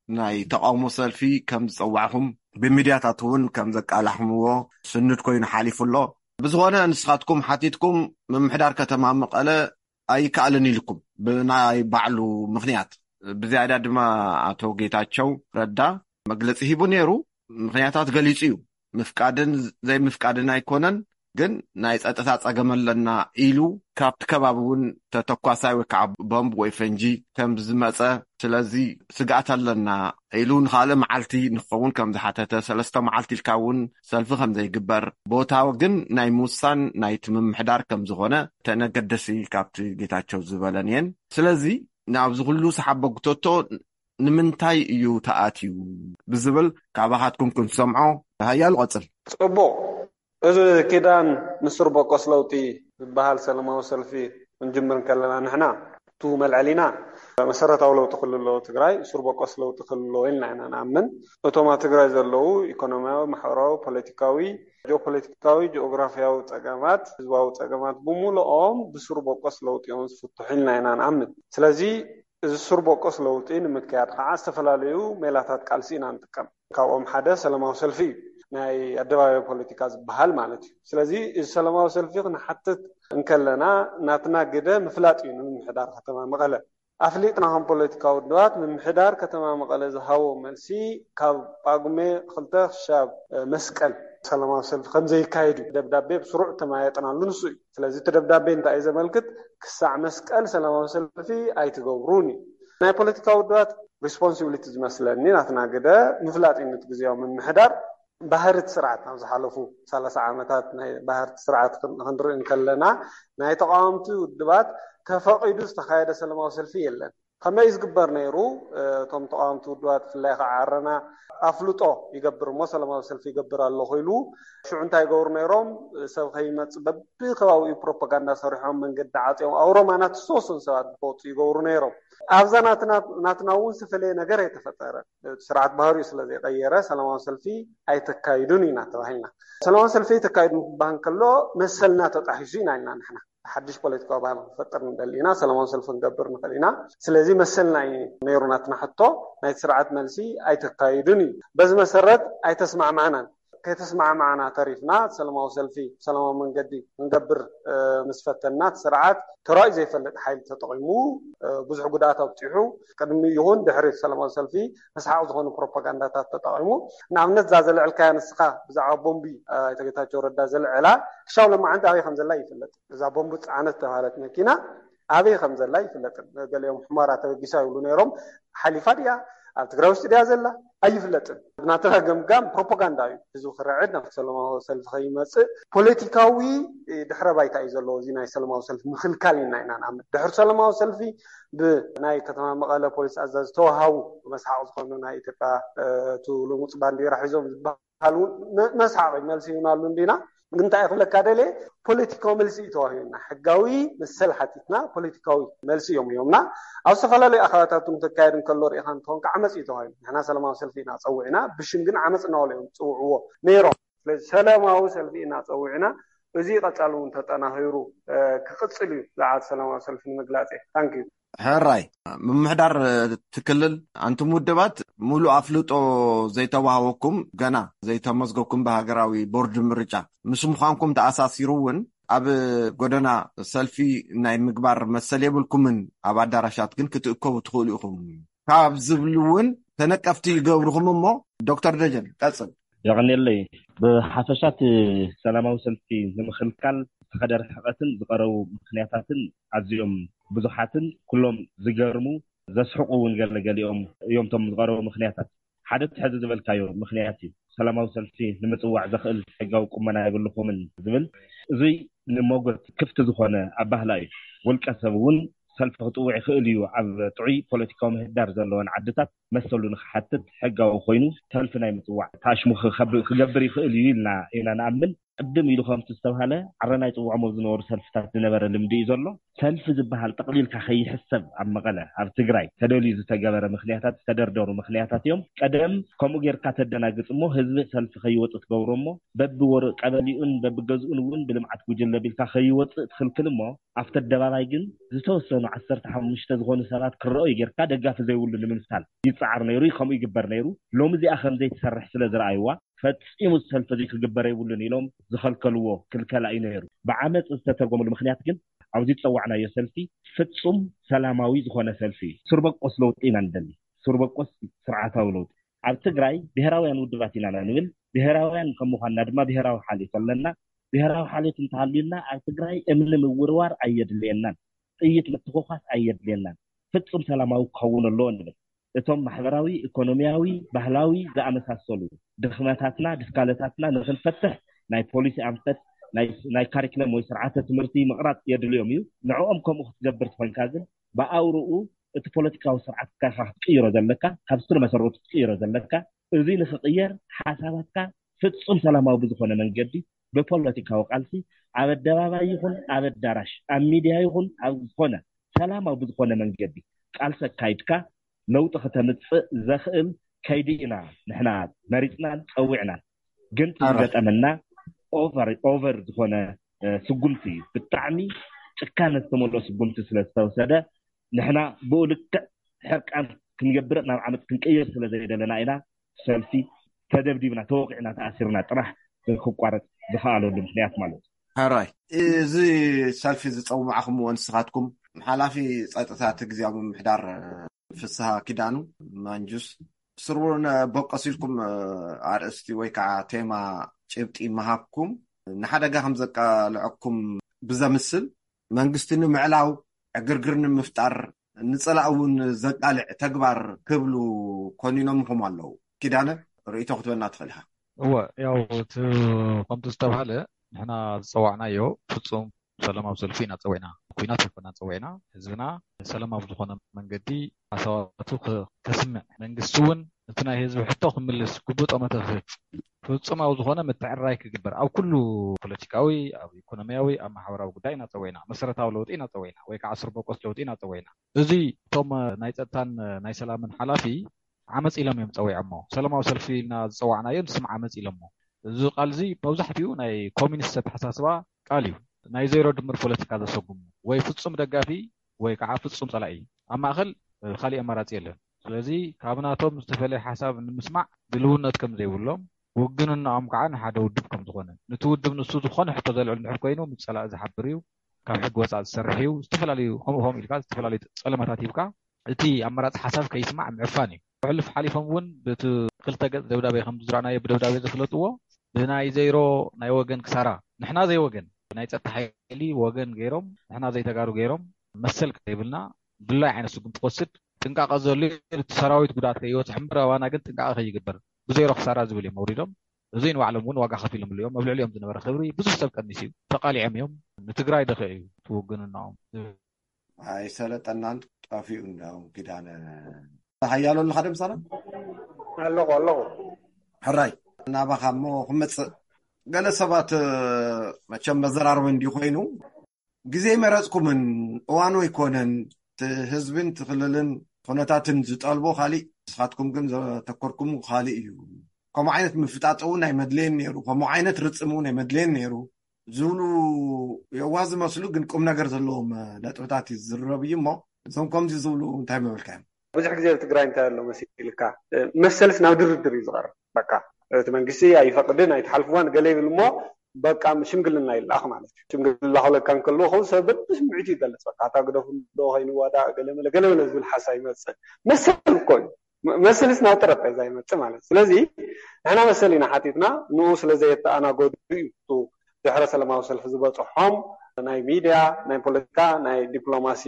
ናይ ተቃውሞ ሰልፊ ከም ዝጸዋዕኹም፣ ብሚድያታት እውን ከም ዘቃላሕምዎ ስኑድ ኮይኑ ሓሊፉ ኣሎ። ብዝኾነ ንስኻትኩም ሓቲትኩም ምምሕዳር ከተማ መቐለ ኣይከኣልን ኢልኩም ብናይ ባዕሉ ምኽንያት። ብዝያዳ ድማ ኣቶ ጌታቸው ረዳ መግለጺ ሂቡ ነይሩ። ምኽንያታት ገሊጹ እዩ። ምፍቃድን ዘይምፍቃድን ኣይኮነን፣ ግን ናይ ጸጥታ ጸገም ኣለና ኢሉ፣ ካብቲ ከባቢ እውን ተተኳሳይ ወይ ከዓ ቦምብ ወይ ፈንጂ ከም ዝመጸ፣ ስለዚ ስግኣት ኣለና ኢሉ ንኻልእ መዓልቲ ንክኸውን ከም ዝሓተተ፣ ሰለስተ መዓልቲ ኢልካ እውን ሰልፊ ከም ዘይግበር፣ ቦታ ግን ናይ ምውሳን ናይቲ ምምሕዳር ከም ዝኾነ ተነገደሲ ካብቲ ጌታቸው ዝበለን እየን። ስለዚ ናብዚ ኩሉ ሰሓቦ ጉተቶ ንምንታይ እዩ ተኣትዩ ብዝብል ካባኻትኩም ክንሰምዖ። ሃያሉ ቀጽል። ጽቡቕ። እዚ ኪዳን ንስርበቆስ ለውጢ ዝበሃል ሰላማዊ ሰልፊ ክንጅምር እንከለና፣ ንሕና እቱ መልዐሊና መሰረታዊ ለውጢ ክልሎ ትግራይ ስርበቆስ ለውጢ ክልሎ ኢልና ኢና ንኣምን። እቶም ኣብ ትግራይ ዘለዉ ኢኮኖሚያዊ፣ ማሕበራዊ፣ ፖለቲካዊ፣ ጂኦፖለቲካዊ፣ ጂኦግራፊያዊ ጸገማት፣ ህዝባዊ ጸገማት ብምልኦም ብስርበቆስ ለውጢ እዮም ዝፍትሑ ኢልና ኢና ንኣምን። ስለዚ እዚ ስርበቆስ ለውጢ ንምክያድ ከዓ ዝተፈላለዩ ሜላታት ቃልሲ ኢና ንጥቀም። ካብኦም ሓደ ሰላማዊ ሰልፊ እዩ፣ ናይ ኣደባባይ ፖለቲካ ዝበሃል ማለት እዩ። ስለዚ እዚ ሰላማዊ ሰልፊ ክንሓትት እንከለና፣ ናትና ግደ ምፍላጥ እዩ ንምምሕዳር ከተማ መቐለ። ኣፍሊጥና ከም ፖለቲካዊ ውድባት ምምሕዳር ከተማ መቐለ ዝሃቦ መልሲ፣ ካብ ጳጉሜ ክልተ ክሻብ መስቀል ሰላማዊ ሰልፊ ከም ዘይካየድ እዩ ደብዳቤ ብስሩዕ ተመያየጥናሉ። ንሱ እዩ። ስለዚ እቲ ደብዳቤ እንታይ እዩ ዘመልክት? ክሳዕ መስቀል ሰላማዊ ሰልፊ ኣይትገብሩን እዩ። ናይ ፖለቲካ ውድባት ሪስፖንሲቢሊቲ ዝመስለኒ፣ ናትና ግደ ምፍላጥ እዩ። ነቲ ግዜያዊ ምምሕዳር ባህሪ እቲ ስርዓት፣ ኣብ ዝሓለፉ ሰላሳ ዓመታት ናይ ባህሪ እቲ ስርዓት ክን-፣ ክንርኢ እንከለና፣ ናይ ተቃወምቲ ውድባት ተፈቒዱ ዝተኻየደ ሰላማዊ ሰልፊ የለን። ከመይ እዩ ዝግበር ነይሩ? እቶም ተቃወምቲ ውድባት፣ ብፍላይ ከዓ ዓረና፣ ኣፍልጦ ይገብር እሞ ሰላማዊ ሰልፊ ይገብር ኣለኹ ኢሉ፣ ሽዑ እንታይ ይገብሩ ነይሮም? ሰብ ከይመጽእ በብከባቢኡ ፕሮፓጋንዳ ሰሪሖም፣ መንገዲ ዓጽዮም፣ ኣብ ሮማ ናት ዝተወሰኑ ሰባት ዝወጹ ይገብሩ ነይሮም። ኣብዛ ናትና፣ ናትና እውን ዝተፈለየ ነገር ኣይተፈጠረን። እቲ ስርዓት ባህሪኡ ስለ ዘይቀየረ ሰላማዊ ሰልፊ ኣይተካይዱን ኢና ተባሂልና። ሰላማዊ ሰልፊ ኣይተካይዱን ክበሃል ከሎ መሰልና ተጣሒሱ ኢና ኢልና ንሕና። ሓድሽ ፖለቲካዊ ባህሊ ክንፈጥር ንደሊ ኢና፣ ሰላማዊ ሰልፊ ክንገብር ንኽእል ኢና። ስለዚ መሰልና እዩ ነይሩ ናትና ሕቶ፣ ናይቲ ስርዓት መልሲ ኣይተካይዱን እዩ። በዚ መሰረት ኣይተስማዕማዕናን። ከይተስማዕማዕና ተሪፍና፣ ሰላማዊ ሰልፊ ብሰላማዊ መንገዲ ክንገብር፣ እ፣ ምስ ፈተንና፣ እቲ ስርዓት ተራእዩ ዘይፈልጥ ሓይሊ ተጠቒሙ፣ እ፣ ብዙሕ ጉድኣት ኣብፂሑ፣ ቅድሚ ይኹን ድሕሪ ሰላማዊ ሰልፊ መስሓቕ ዝኾኑ ፕሮፓጋንዳታት ተጠቒሙ። ንኣብነት፣ እዛ ዘልዐልካያ ንስኻ ብዛዕባ ቦምቢ፣ እ፣ ኣይተ ጌታቸው ረዳ ዘልዐላ፣ ክሻብ ሎማዓንቲ ኣበይ ከም ዘላ ይፍለጥ። እዛ ቦምብ ጸዓነት ተባሃለት መኪና ኣበይ ከም ዘላ ይፍለጥን። ገሊኦም ሑመራ ተበጊሳ ይብሉ ነይሮም። ሓሊፋ ድያ፣ ኣብ ትግራይ ውሽጢ ድያ ዘላ ኣይፍለጥን። ናትና ገምጋም ፕሮፓጋንዳ እዩ። ህዝቢ ክርዕድ፣ ናብ ሰላማዊ ሰልፊ ከይመጽእ ፖለቲካዊ ድሕረ ባይታ እዩ ዘለዎ። እዚ ናይ ሰላማዊ ሰልፊ ምኽልካል ኢና ኢና ንኣምን። ድሕሪ ሰላማዊ ሰልፊ ብናይ ከተማ መቐለ ፖሊስ ኣዛዚ ዝተዋሃቡ መስሓቕ ዝኾኑ ናይ ኢትዮጵያ፣ እ፣ እቲ ልሙፅ ባንዲራ ሒዞም ዝበሃሉ መ-፣ መስሓቕ እዩ። መልሲ ይህብናሉ እንዲና። ግን እንታይ ክብለካ ደልየ፣ ፖለቲካዊ መልሲ እዩ ተዋሂቡና። ሕጋዊ መሰል ሓቲትና ፖለቲካዊ መልሲ እዮም ሂቦምና። ኣብ ዝተፈላለዩ ኣኼባታት እውን ክካየድ እንከሎ ርኢኻ እንትኸውን፣ ከዓ ዓመፅ እዩ ተዋሂቡ። ንሕና ሰላማዊ ሰልፊ ኢና ፀዊዕና፣ ብሽም ግን ዓመፅ እናበሉ እዮም ዝፅውዕዎ ነይሮም። ስለዚ ሰላማዊ ሰልፊ ኢና ፀዊዕና፣ እዚ ቀፃሊ እውን ተጠናኺሩ፣ እ፣ ክቕፅል እዩ ዝዓት ሰላማዊ ሰልፊ ንምግላፅ እየ። ታንክ ዩ። ሕራይ። ምምሕዳር እቲ ክልል፣ ኣንቱም ውድባት ሙሉእ ኣፍልጦ ዘይተዋህበኩም፣ ገና ዘይተመዝገብኩም ብሃገራዊ ቦርድ ምርጫ፣ ምስ ምዃንኩም ተኣሳሲሩ እውን ኣብ ጎደና ሰልፊ ናይ ምግባር መሰል የብልኩምን፣ ኣብ ኣዳራሻት ግን ክትእከቡ ትኽእሉ ኢኹም ካብ ዝብሉ እውን ተነቀፍቲ ይገብርኹም። እሞ ዶክተር ደጀን ቀጽል። የቐንየለይ። ብሓፈሻ እቲ ሰላማዊ ሰልፊ ንምኽልካል ዝተኸደ ርሕቐትን ዝቐረቡ ምኽንያታትን ኣዝዮም ብዙሓትን ኩሎም ዝገርሙ፣ ዘስሕቑ እውን ገለገሊኦም እዮም እቶም ዝቐረቡ ምኽንያታት። ሓደ እቲ ሕዚ ዝበልካዮ ምኽንያት እዩ። ሰላማዊ ሰልፊ ንምፅዋዕ ዘኽእል ሕጋዊ ቁመና የብልኹምን ዝብል፣ እዙይ ንሞጎት ክፍቲ ዝኾነ ኣባህላ እዩ። ውልቀ ሰብ እውን ሰልፊ ክጥውዕ ይኽእል እዩ። ኣብ ጥዑይ ፖለቲካዊ ምህዳር ዘለወን ዓድታት መሰሉ ንክሓትት ሕጋዊ ኮይኑ ሰልፊ ናይ ምፅዋዕ ታሽሙ ክገብር ይኽእል እዩ ኢልና ኢና ንኣምን። ቅድም ኢሉ ከምቲ ዝተባሃለ ዓረና ይፅውዖም ኣብ ዝነበሩ ሰልፍታት ዝነበረ ልምዲ እዩ ዘሎ። ሰልፊ ዝበሃል ጠቕሊልካ ከይሕሰብ ኣብ መቐለ፣ ኣብ ትግራይ ተደልዩ ዝተገበረ ምኽንያታት፣ ዝተደርደሩ ምኽንያታት እዮም። ቀደም ከምኡ ጌርካ ተደናግጽ እሞ ህዝቢ ሰልፊ ከይወጽእ ትገብሮ እሞ በብወር ቀበሊኡን በብገዝኡን እውን ብልምዓት ጉጅለ ቢልካ ከይወጽእ ትኽልክል እሞ ኣብቲ ኣደባባይ ግን ዝተወሰኑ ዓሰርተ ሓሙሽተ ዝኾኑ ሰባት ክረኣዩ ጌርካ ደጋፊ ዘይብሉ ንምምሳል ይጸዓር ነይሩ እዩ። ከምኡ ይግበር ነይሩ። ሎሚ እዚኣ ከም ዘይትሰርሕ ስለ ዝረኣይዋ ፈጺሙ ሰልፊ እዚ ክግበር የብሉን ኢሎም ዝኸልከልዎ ክልከላ እዩ ነይሩ። ብዓመፅ ዝተተርጎመሉ ምኽንያት ግን ኣብዚ ዝፀዋዕናዮ ሰልፊ ፍጹም ሰላማዊ ዝኾነ ሰልፊ እዩ። ሱር በቆስ ለውጢ ኢና ንደሊ። ሱር በቆስ ስርዓታዊ ለውጢ። ኣብ ትግራይ ብሄራውያን ውድባት ኢና ንብል። ብሄራውያን ከም ምዃንና ድማ ብሄራዊ ሓልዮት ኣለና። ብሄራዊ ሓልዮት እንተሃልዩና ኣብ ትግራይ እምኒ ምውርዋር ኣየድልየናን፣ ጥይት ምትኹኻስ ኣየድልየናን። ፍጹም ሰላማዊ ክኸውን ኣለዎ ንብል። እቶም ማሕበራዊ፣ ኢኮኖሚያዊ፣ ባህላዊ ዝኣመሳሰሉ ድኽመታትና፣ ድስካለታትና ንኽንፈትሕ ናይ ፖሊሲ ኣንፈት፣ ናይ፣ ናይ ካሪክለም ወይ ስርዓተ ትምህርቲ ምቕራፅ የድልዮም እዩ። ንዕኦም ከምኡ ክትገብር ትኾንካ ግን ብኣውርኡ እቲ ፖለቲካዊ ስርዓትካ ኢኻ ክትቅይሮ ዘለካ፣ ካብ ስር መሰረቱ ክትቅይሮ ዘለካ። እዚ ንኽቕየር ሓሳባትካ ፍጹም ሰላማዊ ብዝኾነ መንገዲ ብፖለቲካዊ ቃልሲ ኣብ ኣደባባይ ይኹን ኣብ ኣዳራሽ፣ ኣብ ሚድያ ይኹን ኣብ ዝኾነ ሰላማዊ ብዝኾነ መንገዲ ቃልሲ ኣካይድካ ለውጢ ከተምጽእ ዘኽእል ከይዲ ኢና ንሕና መሪጽናን ጸዊዕናን። ግን እቲ ዝገጠመና ኦቨር ኦቨር ዝኾነ ስጉምቲ እዩ። ብጣዕሚ ጭካነ ዝተመልኦ ስጉምቲ ስለ ዝተወሰደ ንሕና ብኡ ልክዕ ሕርቃን ክንገብር ናብ ዓመፅ ክንቅይር ስለ ዘይደለና ኢና ሰልፊ ተደብዲብና፣ ተወቂዕና፣ ተኣሲርና ጥራሕ ክቋረፅ ዝኸኣለሉ ምክንያት ማለት እዩ። ሕራይ፣ እዚ ሰልፊ ዝፀውማዕኹምዎ ንስኻትኩም ሓላፊ ፀጥታ እቲ ግዜያዊ ምምሕዳር ፍስሃ ኪዳኑ ማንጁስ ስርቡን በቆስ ኢልኩም ኣርእስቲ ወይ ከዓ ቴማ ጭብጢ ምሃብኩም ንሓደጋ ከም ዘቃልዐኩም ብዘምስል መንግስቲ ንምዕላው ዕግርግር ንምፍጣር ንፀላእ እውን ዘቃልዕ ተግባር ክብሉ ኮኒኖምኹም ኣለዉ። ኪዳነ ርእይቶ ክትበና ትኽእል ኢኻ። እወ ያው እቲ ከምቲ ዝተባህለ ንሕና ዝፀዋዕናዮ ፍፁም ሰላማዊ ሰልፊ ኢና ፀዊዕና፣ ኩናት ኣይኮናን ፀዊዕና። ህዝብና ሰላማዊ ብዝኾነ መንገዲ ሓሳባቱ ከስምዕ፣ መንግስቲ እውን እቲ ናይ ህዝቢ ሕቶ ክምልስ ግቡእ ጠመተ ክህብ፣ ፍፁማዊ ዝኾነ ምትዕርራይ ክግበር ኣብ ኩሉ ፖለቲካዊ፣ ኣብ ኢኮኖሚያዊ፣ ኣብ ማሕበራዊ ጉዳይ ኢና ፀዊዕና፣ መሰረታዊ ለውጢ ኢና ፀዊዕና ወይ ከዓ ስርበቆስ ለውጢ ኢና ፀዊዕና። እዚ እቶም ናይ ፀጥታን ናይ ሰላምን ሓላፊ ዓመፅ ኢሎም እዮም ፀዊዖሞ። ሰላማዊ ሰልፊ ኢልና ዝፀዋዕናዮ ንስም ዓመፅ ኢሎሞ። እዚ ቃል እዚ መብዛሕትኡ ናይ ኮሚኒስት ኣተሓሳስባ ቃል እዩ። ናይ ዜሮ ድምር ፖለቲካ ዘሰጉሙ ወይ ፍፁም ደጋፊ ወይ ከዓ ፍፁም ፀላኢ፣ ኣብ ማእኸል ካሊእ ኣማራፂ የለን። ስለዚ ካብ ናቶም ዝተፈለየ ሓሳብ ንምስማዕ ድልውነት ከም ዘይብሎም፣ ውግንናኦም ከዓ ንሓደ ውድብ ከም ዝኾነ፣ ንቲ ውድብ ንሱ ዝኾነ ሕቶ ዘልዕል እንድሕር ኮይኑ ምስ ፀላኢ ዝሓብር እዩ፣ ካብ ሕጊ ወፃኢ ዝሰርሕ እዩ፣ ዝተፈላለዩ ከምኡ ከምኡ ኢልካ ዝተፈላለዩ ፀለማታት ሂብካ እቲ ኣማራፂ ሓሳብ ከይስማዕ ምዕፋን እዩ። ሕልፍ ሓሊፎም እውን ብቲ ክልተ ገፅ ደብዳቤ ከም ዝረኣናዮ ብደብዳቤ ዘፍለጥዎ ብናይ ዘይሮ ናይ ወገን ክሳራ ንሕና ዘይወገን ናይ ፀጥታ ሓይሊ ወገን ገይሮም ንሕና ዘይተጋሩ ገይሮም መሰል ከይብልና ድላይ ዓይነት ስጉምቲ ክወስድ ጥንቃቐ ዘሉ እቲ ሰራዊት ጉድኣት ከይበፅሕ እምበር ኣባና ግን ጥንቃቐ ከይግበር ብዘይሮ ክሳራ ዝብል እዮም ኣውሪዶም። እዚ ንባዕሎም እውን ዋጋ ከፊሎም እዮም። ኣብ ልዕሊኦም ዝነበረ ክብሪ ብዙሕ ሰብ ቀኒሱ እዩ። ተቃሊዖም እዮም። ንትግራይ ደኸ እዩ ትውግንናኦም። ኣይሰለጠናን ጠፊኡ እንዳው ኪዳነ ሓያሎ ኣለካ ደምሳና ኣለኹ ኣለኹ ሕራይ ናባኻ እሞ ክመፅእ ገለ ሰባት መቸም መዘራርቢ እንዲ ኮይኑ ግዜ መረፅኩምን እዋኑ ኣይኮነን ህዝብን ትክልልን ኩነታትን ዝጠልቦ ካሊእ ንስኻትኩም ግን ዘተኮርኩም ካሊእ እዩ። ከምኡ ዓይነት ምፍጣጥ እውን ኣይመድለየን ነይሩ። ከምኡ ዓይነት ርፅም እውን ኣይመድለየን ነይሩ ዝብሉ የዋ ዝመስሉ ግን ቁም ነገር ዘለዎም ነጥብታት እዩ ዝዝረብ እዩ እሞ እዞም ከምዚ ዝብሉ እንታይ ምበልካ እዮም? ብዙሕ ግዜ ኣብ ትግራይ እንታይ ኣሎ መሲልካ መሰልስ ናብ ድርድር እዩ ዝቐርብ። በቃ እቲ መንግስቲ ኣይፈቅድን ኣይትሓልፍዋን ገለ ይብል እሞ በቃ ሽምግልና ይላኽ ማለት እዩ። ሽምግልና ክብለካ እንከሎ ከው ሰብ በብስምዒቱ ይገልፅ። በቃ እታ ግደፉ ዶ ከይንዋዳእ ገለመለ ገለመለ ዝብል ሓሳብ ይመፅእ። መሰል እኮ እዩ መሰልስ ናብ ጠረጴዛ ይመፅእ ማለት እዩ። ስለዚ ንሕና መሰል ኢና ሓቲትና ንኡ ስለዘየተኣናገዱ እዩ ድሕረ ሰላማዊ ሰልፊ ዝበፅሖም ናይ ሚድያ ናይ ፖለቲካ ናይ ዲፕሎማሲ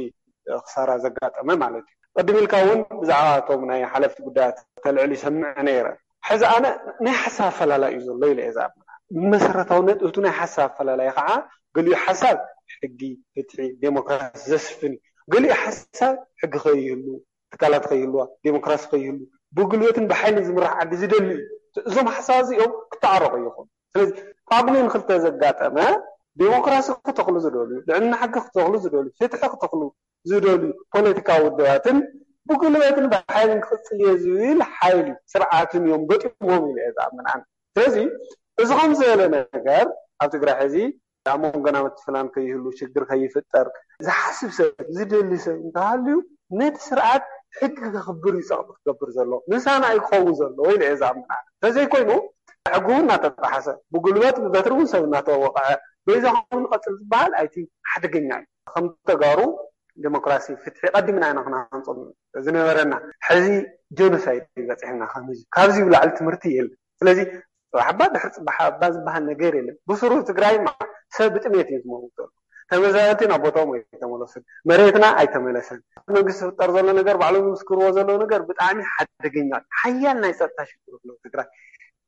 ክሳራ ዘጋጠመ ማለት እዩ። ቅድም ኢልካ እውን ብዛዕባ እቶም ናይ ሓለፍቲ ጉዳያት ተልዕል ይሰምዕ ነይረ። ሕዚ ኣነ ናይ ሓሳብ ኣፈላላይ እዩ ዘሎ ኢለ እየ ዝኣምን። መሰረታዊ ነጥብቱ ናይ ሓሳብ ኣፈላላይ ከዓ ገሊኡ ሓሳብ ሕጊ፣ ፍትሒ፣ ዴሞክራሲ ዘስፍን እዩ። ገሊኡ ሓሳብ ሕጊ ከይህሉ፣ ትካላት ከይህልዋ፣ ዴሞክራሲ ከይህሉ፣ ብጉልበትን ብሓይልን ዝምራሕ ዓዲ ዝደሊ እዩ። እዞም ሓሳብ እዚኦም ክተዓረቑ ይኹኑ። ስለዚ ጳጉሜን ክልተ ዘጋጠመ ዴሞክራሲ ክተኽሉ ዝደልዩ፣ ልዕልና ሕጊ ክተኽሉ ዝደልዩ፣ ፍትሒ ክተኽሉ ዝደልዩ ፖለቲካዊ ውድባትን ብጉልበትን ብሓይልን ክቕፅል እየ ዝብል ሓይሊ ስርዓትን እዮም ገጢሞም ኢለ እየ ዝኣምን ኣነ። ስለዚ እዚ ከም ዝበለ ነገር ኣብ ትግራይ ሕዚ ኣብ መንጎና ምትፍናን ከይህሉ፣ ሽግር ከይፍጠር ዝሓስብ ሰብ፣ ዝደሊ ሰብ እንተሃልዩ ነቲ ስርዓት ሕጊ ከኽብር እዩ ጸቕጢ ክገብር ዘሎ፣ ምሳና እዩ ክኸውን ዘሎ ኢለ እየ ዝኣምን ኣነ። እንተዘይኮይኑ ሕጊ እውን እናተጣሓሰ፣ ብጉልበት ብበትሪ እውን ሰብ እናተወቕዐ በይዛኹም ንቐጽል ዝበሃል ኣይቲ ሓደገኛ እዩ። ከም ተጋሩ ዴሞክራሲ፣ ፍትሒ ቀዲምና ኢና ክነሃንጾም ዝነበረና። ሕዚ ጀኖሳይድ እዩ በጺሕና። ካብ ህዝቢ ካብዚ ብላዕሊ ትምህርቲ የለን። ስለዚ ጽባሕ እባ ድሕሪ ጽባሕ እባ ዝበሃል ነገር የለን። ብስሩ ትግራይማ ሰብ ብጥሜት እዩ ዝመውት ዘሎ። ተመዛበልቲ ናብ ቦታኦም ኣይተመለሱን። መሬትና ኣይተመለሰን። መንግስቲ ዝፍጠር ዘሎ ነገር፣ ባዕሎም ዝምስክርዎ ዘለዉ ነገር ብጣዕሚ ሓደገኛ፣ ሓያል ናይ ጸጥታ ሽግር ኣሎ ትግራይ።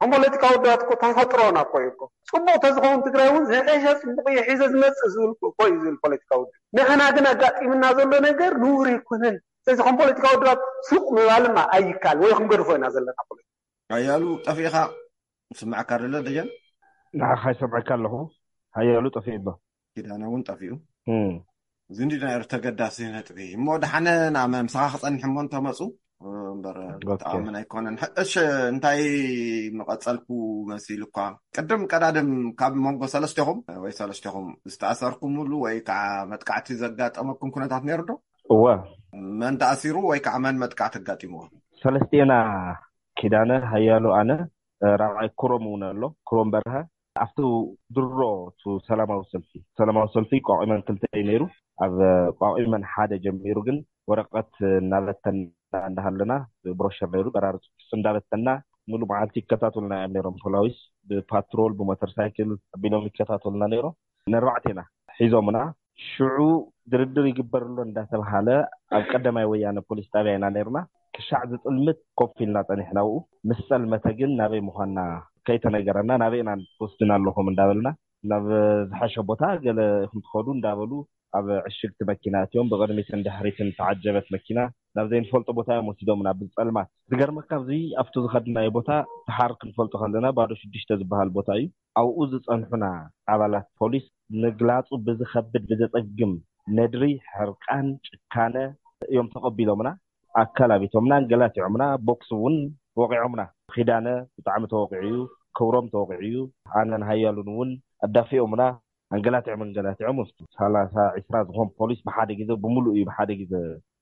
ከም ፖለቲካዊ ውድባት እኮ ተፈጥሮና እኮ እዩ እኮ። ጽቡቕ ተዝኸውን ትግራይ እውን ዝሐሸ ጽቡቕ እየ ሒዘ ዝመጽእ ዝብል እኮ እዩ ዝብል ፖለቲካዊ ውድብ። ንሕና ግን ኣጋጢምና ዘሎ ነገር ንውር ኣይኮነን። ስለዚ ከም ፖለቲካዊ ውድባት ሱቕ ምባልማ ኣይካል ወይ ክንገድፎ ኢና ዘለና ፖለቲካ። ሓያሉ ጠፊእኻ። ስምዓካ ደለ ደጀን? ንዓኻ ይሰምዐካ ኣለኹ። ሓያሉ ጠፊኡ ኣሎ። ኪዳነ እውን ጠፊኡ። እም። እዚ እንዲ ናይ ተገዳሲ ነጥቢ እሞ፣ ደሓነ ናብ ምሳኻ ክጸንሕ እሞ እንተመጹ እምበር ኦኬ። ጠቓምን ኣይኮነን። ሕሽ እንታይ መቐጸልኩ መሲሉ እኳ፣ ቅድም ቀዳድም ካብ መንጎ ሰለስቴኹም ወይ ሰለስቴኹም ዝተኣሰርኩምሉ ወይ ከዓ መጥቃዕቲ ዘጋጠመኩም ኩነታት ነይሩ ዶ? እወ። መን ተኣሲሩ ወይ ከዓ መን መጥቃዕቲ ኣጋጢምዎ? ሰለስቴና፣ ኪዳነ፣ ሓያሉ፣ ኣነ፣ ራብዓይ ክሮም እውን ኣሎ፣ ክሮም በርሀ። ኣብቲ ድሮ፣ እቲ ሰላማዊ ሰልፊ፣ ሰላማዊ ሰልፊ ቋቒመን ክልተ እዩ ነይሩ። ኣብ ቋቒመን ሓደ ጀሚሩ ግን ወረቐት እናበተና እንዳሃለና፣ ብሮሸር ነይሩ፣ በራሪ ጽሑፍ እንዳበተና፣ ሙሉ መዓልቲ ይከታተሉና እዮም ነይሮም ፖላዊስ። ብፓትሮል፣ ብሞተር ሳይክል ኣቢሎም ይከታተሉና ነይሮም። ነርባዕቴና ሒዞምና። ሽዑ ድርድር ይግበር ኣሎ እንዳተባሃለ ኣብ ቀዳማይ ወያነ ፖሊስ ጣብያ ኢና ነይርና። ክሻዕ ዝጥልምት ኮፍ ኢልና ጸኒሕና። ኣብኡ ምስ ጸልመተ ግን ናበይ ምዃንና ከይተነገረና፣ ናበይ ኢና ትወስድና ኣለኹም እንዳበልና፣ ናብ ዝሓሸ ቦታ ገለ ኢኹም ትኸዱ እንዳበሉ ኣብ ዕሽግቲ መኪና ኣትዮም፣ ብቕድሚትን ድሕሪትን ተዓጀበት መኪና ናብ ዘይንፈልጦ ቦታ እዮም ወሲዶምና ብጸልማት። ዝገርመካ ኣብዚ ኣብቲ ዝኸድናዮ ቦታ ደሓር ክንፈልጦ ከለና ባዶ ሽዱሽተ ዝበሃል ቦታ እዩ። ኣብኡ ዝጸንሑና ኣባላት ፖሊስ ምግላጹ ብዝኸብድ ብዘጸግም ነድሪ፣ ሕርቃን፣ ጭካነ እዮም ተቐቢሎምና። ኣካል ኣቢቶምና፣ ኣንገላቲዖምና፣ ቦክስ እውን ወቒዖምና። ኪዳነ ብጣዕሚ ተወቒዑ እዩ፣ ክብሮም ተወቒዑ እዩ፣ ኣነን ሃያሉን እውን ኣዳፊኦምና። ኣንገላቲዖም ኣንገላቲዖም ወስዱ። ሰላሳ ዒስራ ዝኾን ፖሊስ ብሓደ ግዜ፣ ብምሉእ እዩ ብሓደ ግዜ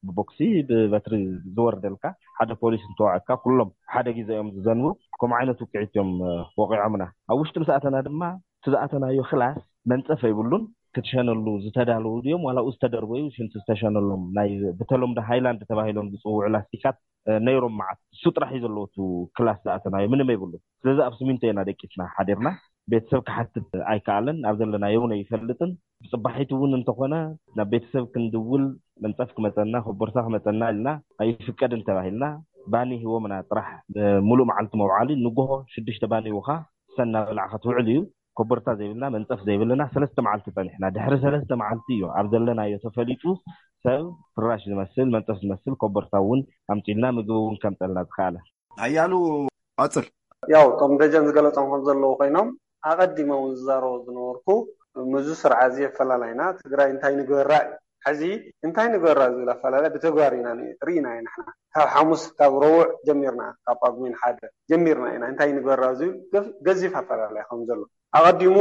ብቦክሲ ብበትሪ ዝወርደልካ። ሓደ ፖሊስ እንትወዓካ ኩሎም ሓደ ግዜ እዮም ዝዘንቡ። ከምኡ ዓይነት ውቅዒት እዮም፣ እ፣ ወቂዖምና። ኣብ ውሽጢ ምስ ኣተና ድማ እቲ ዝኣተናዮ ክላስ መንጸፍ ኣይብሉን። ክትሸነሉ ዝተዳለዉ ድዮም ዋላ ኣብኡ ዝተደርበዩ ሽንቲ ዝተሸነሎም ናይ ብተለምዶ ሃይላንድ ተባሂሎም ዝጽውዑ ላስቲካት፣ እ፣ ነይሮም መዓት። እሱ ጥራሕ እዩ ዘለዎ እቲ ክላስ ዝኣተናዮ፣ ምንም ኣይብሉን። ስለዚ ኣብ ስሚንቶ ኢና ደቂስና ሓዲርና። ቤተሰብ ክሓትት ኣይከኣለን። ኣብ ዘለናዮ እውን ኣይፈልጥን። ብጽባሒቱ እውን እንተኾነ ናብ ቤተሰብ ክንድውል መንጸፍ ክመጸና፣ ኮቦርታ ክመጸና ኢልና ኣይፍቀድን ተባሂልና። ባኒ ሂቦምና ጥራሕ፣ እ፣ ሙሉእ መዓልቲ መውዓሊ። ንጎሆ ሽዱሽተ ባኒ ውኻ ሰና በላዕኻ ትውዕል እዩ። ኮቦርታ ዘይብልና፣ መንጸፍ ዘይብልና ሰለስተ መዓልቲ ጸኒሕና። ድሕሪ ሰለስተ መዓልቲ እዩ ኣብ ዘለናዮ ተፈሊጡ ሰብ ፍራሽ ዝመስል፣ መንጸፍ ዝመስል ኮቦርታ እውን ኣምጺልና፣ ምግቢ እውን ከምጸልና ዝኸኣለ። ሓያሉ ቀጽል። ያው እቶም ደጀን ዝገለጾም ከም ዘለዉ ኮይኖም፣ ኣቐዲመ እውን ዝዛረቦ ዝነበርኩ፣ ምስዚ ስርዓት እዚ ኣፈላላይና ትግራይ እንታይ ንግበራ እዩ። ሕዚ እንታይ ንግበራ ዝብል ኣፈላላይ ብተግባር ኢና ኒ-፣ ርኢና ኢና ንሕና። ካብ ሓሙስ፣ ካብ ረቡዕ ጀሚርና፣ ካብ ጳጉሜን ሓደ ጀሚርና ኢና እንታይ ንግበራ ዝብል ገፍ-፣ ገዚፍ ኣፈላላይ ከም ዘሎ። ኣቐዲሙ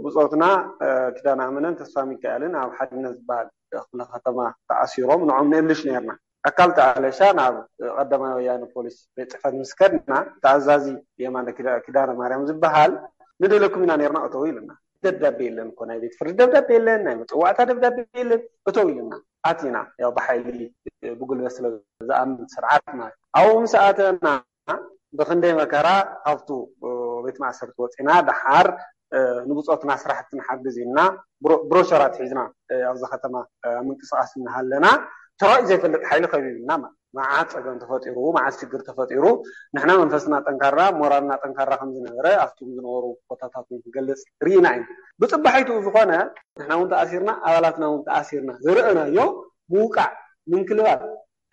ብጾትና፣ እ፣ ኪዳነ ኣመነን ተስፋ ሚካኤልን ኣብ ሓድነት ዝበሃል ክፍለ ከተማ ተኣሲሮም፣ ንዖም ንእልሽ ነርና። ኣካል ተኣለሻ ናብ ቀዳማይ ወያነ ፖሊስ ቤት ጽሕፈት ምስ ከድና፣ ተኣዛዚ የማነ ኪዳ-፣ ኪዳነ ማርያም ዝበሃል፣ "ንደለኩም ኢና ነርና፣ እተው" ኢሉና። ደብዳቤ የለን እኮ፣ ናይ ቤት ፍርዲ ደብዳቤ የለን፣ ናይ መጸዋዕታ ደብዳቤ የለን፣ "እተው" ኢሉና። ኣቲና፣ ያው ብሓይሊ ብጉልበት ስለ ዝኣምን ስርዓት ማለት። ኣብኡ ምስ ኣተና ብኽንደይ መከራ ካብቱ ቤት ማእሰርቲ ወጺና፣ ደሓር ንብጾትና ስራሕቲ ንሓግዝ ኢልና ብሮ-፣ ብሮሸራት ሒዝና ኣብዚ ከተማ ኣብ ምንቅስቓስ እናሃለና፣ ተራእዩ ዘይፈልጥ ሓይሊ ከቢብና ማለት። መዓት ጸገም ተፈጢሩ፣ መዓት ሽግር ተፈጢሩ፣ ንሕና መንፈስና ጠንካራ፣ ሞራልና ጠንካራ ከም ዝነበረ ኣብቶም ዝነበሩ ቦታታት እውን ክገልጽ ርኢና ኢና። ብጽባሒቱ ዝኾነ ንሕና እውን ተኣሲርና፣ ኣባላትና እውን ተኣሲርና ዝረእናዮ ምውቃዕ፣ ምንክልባል፣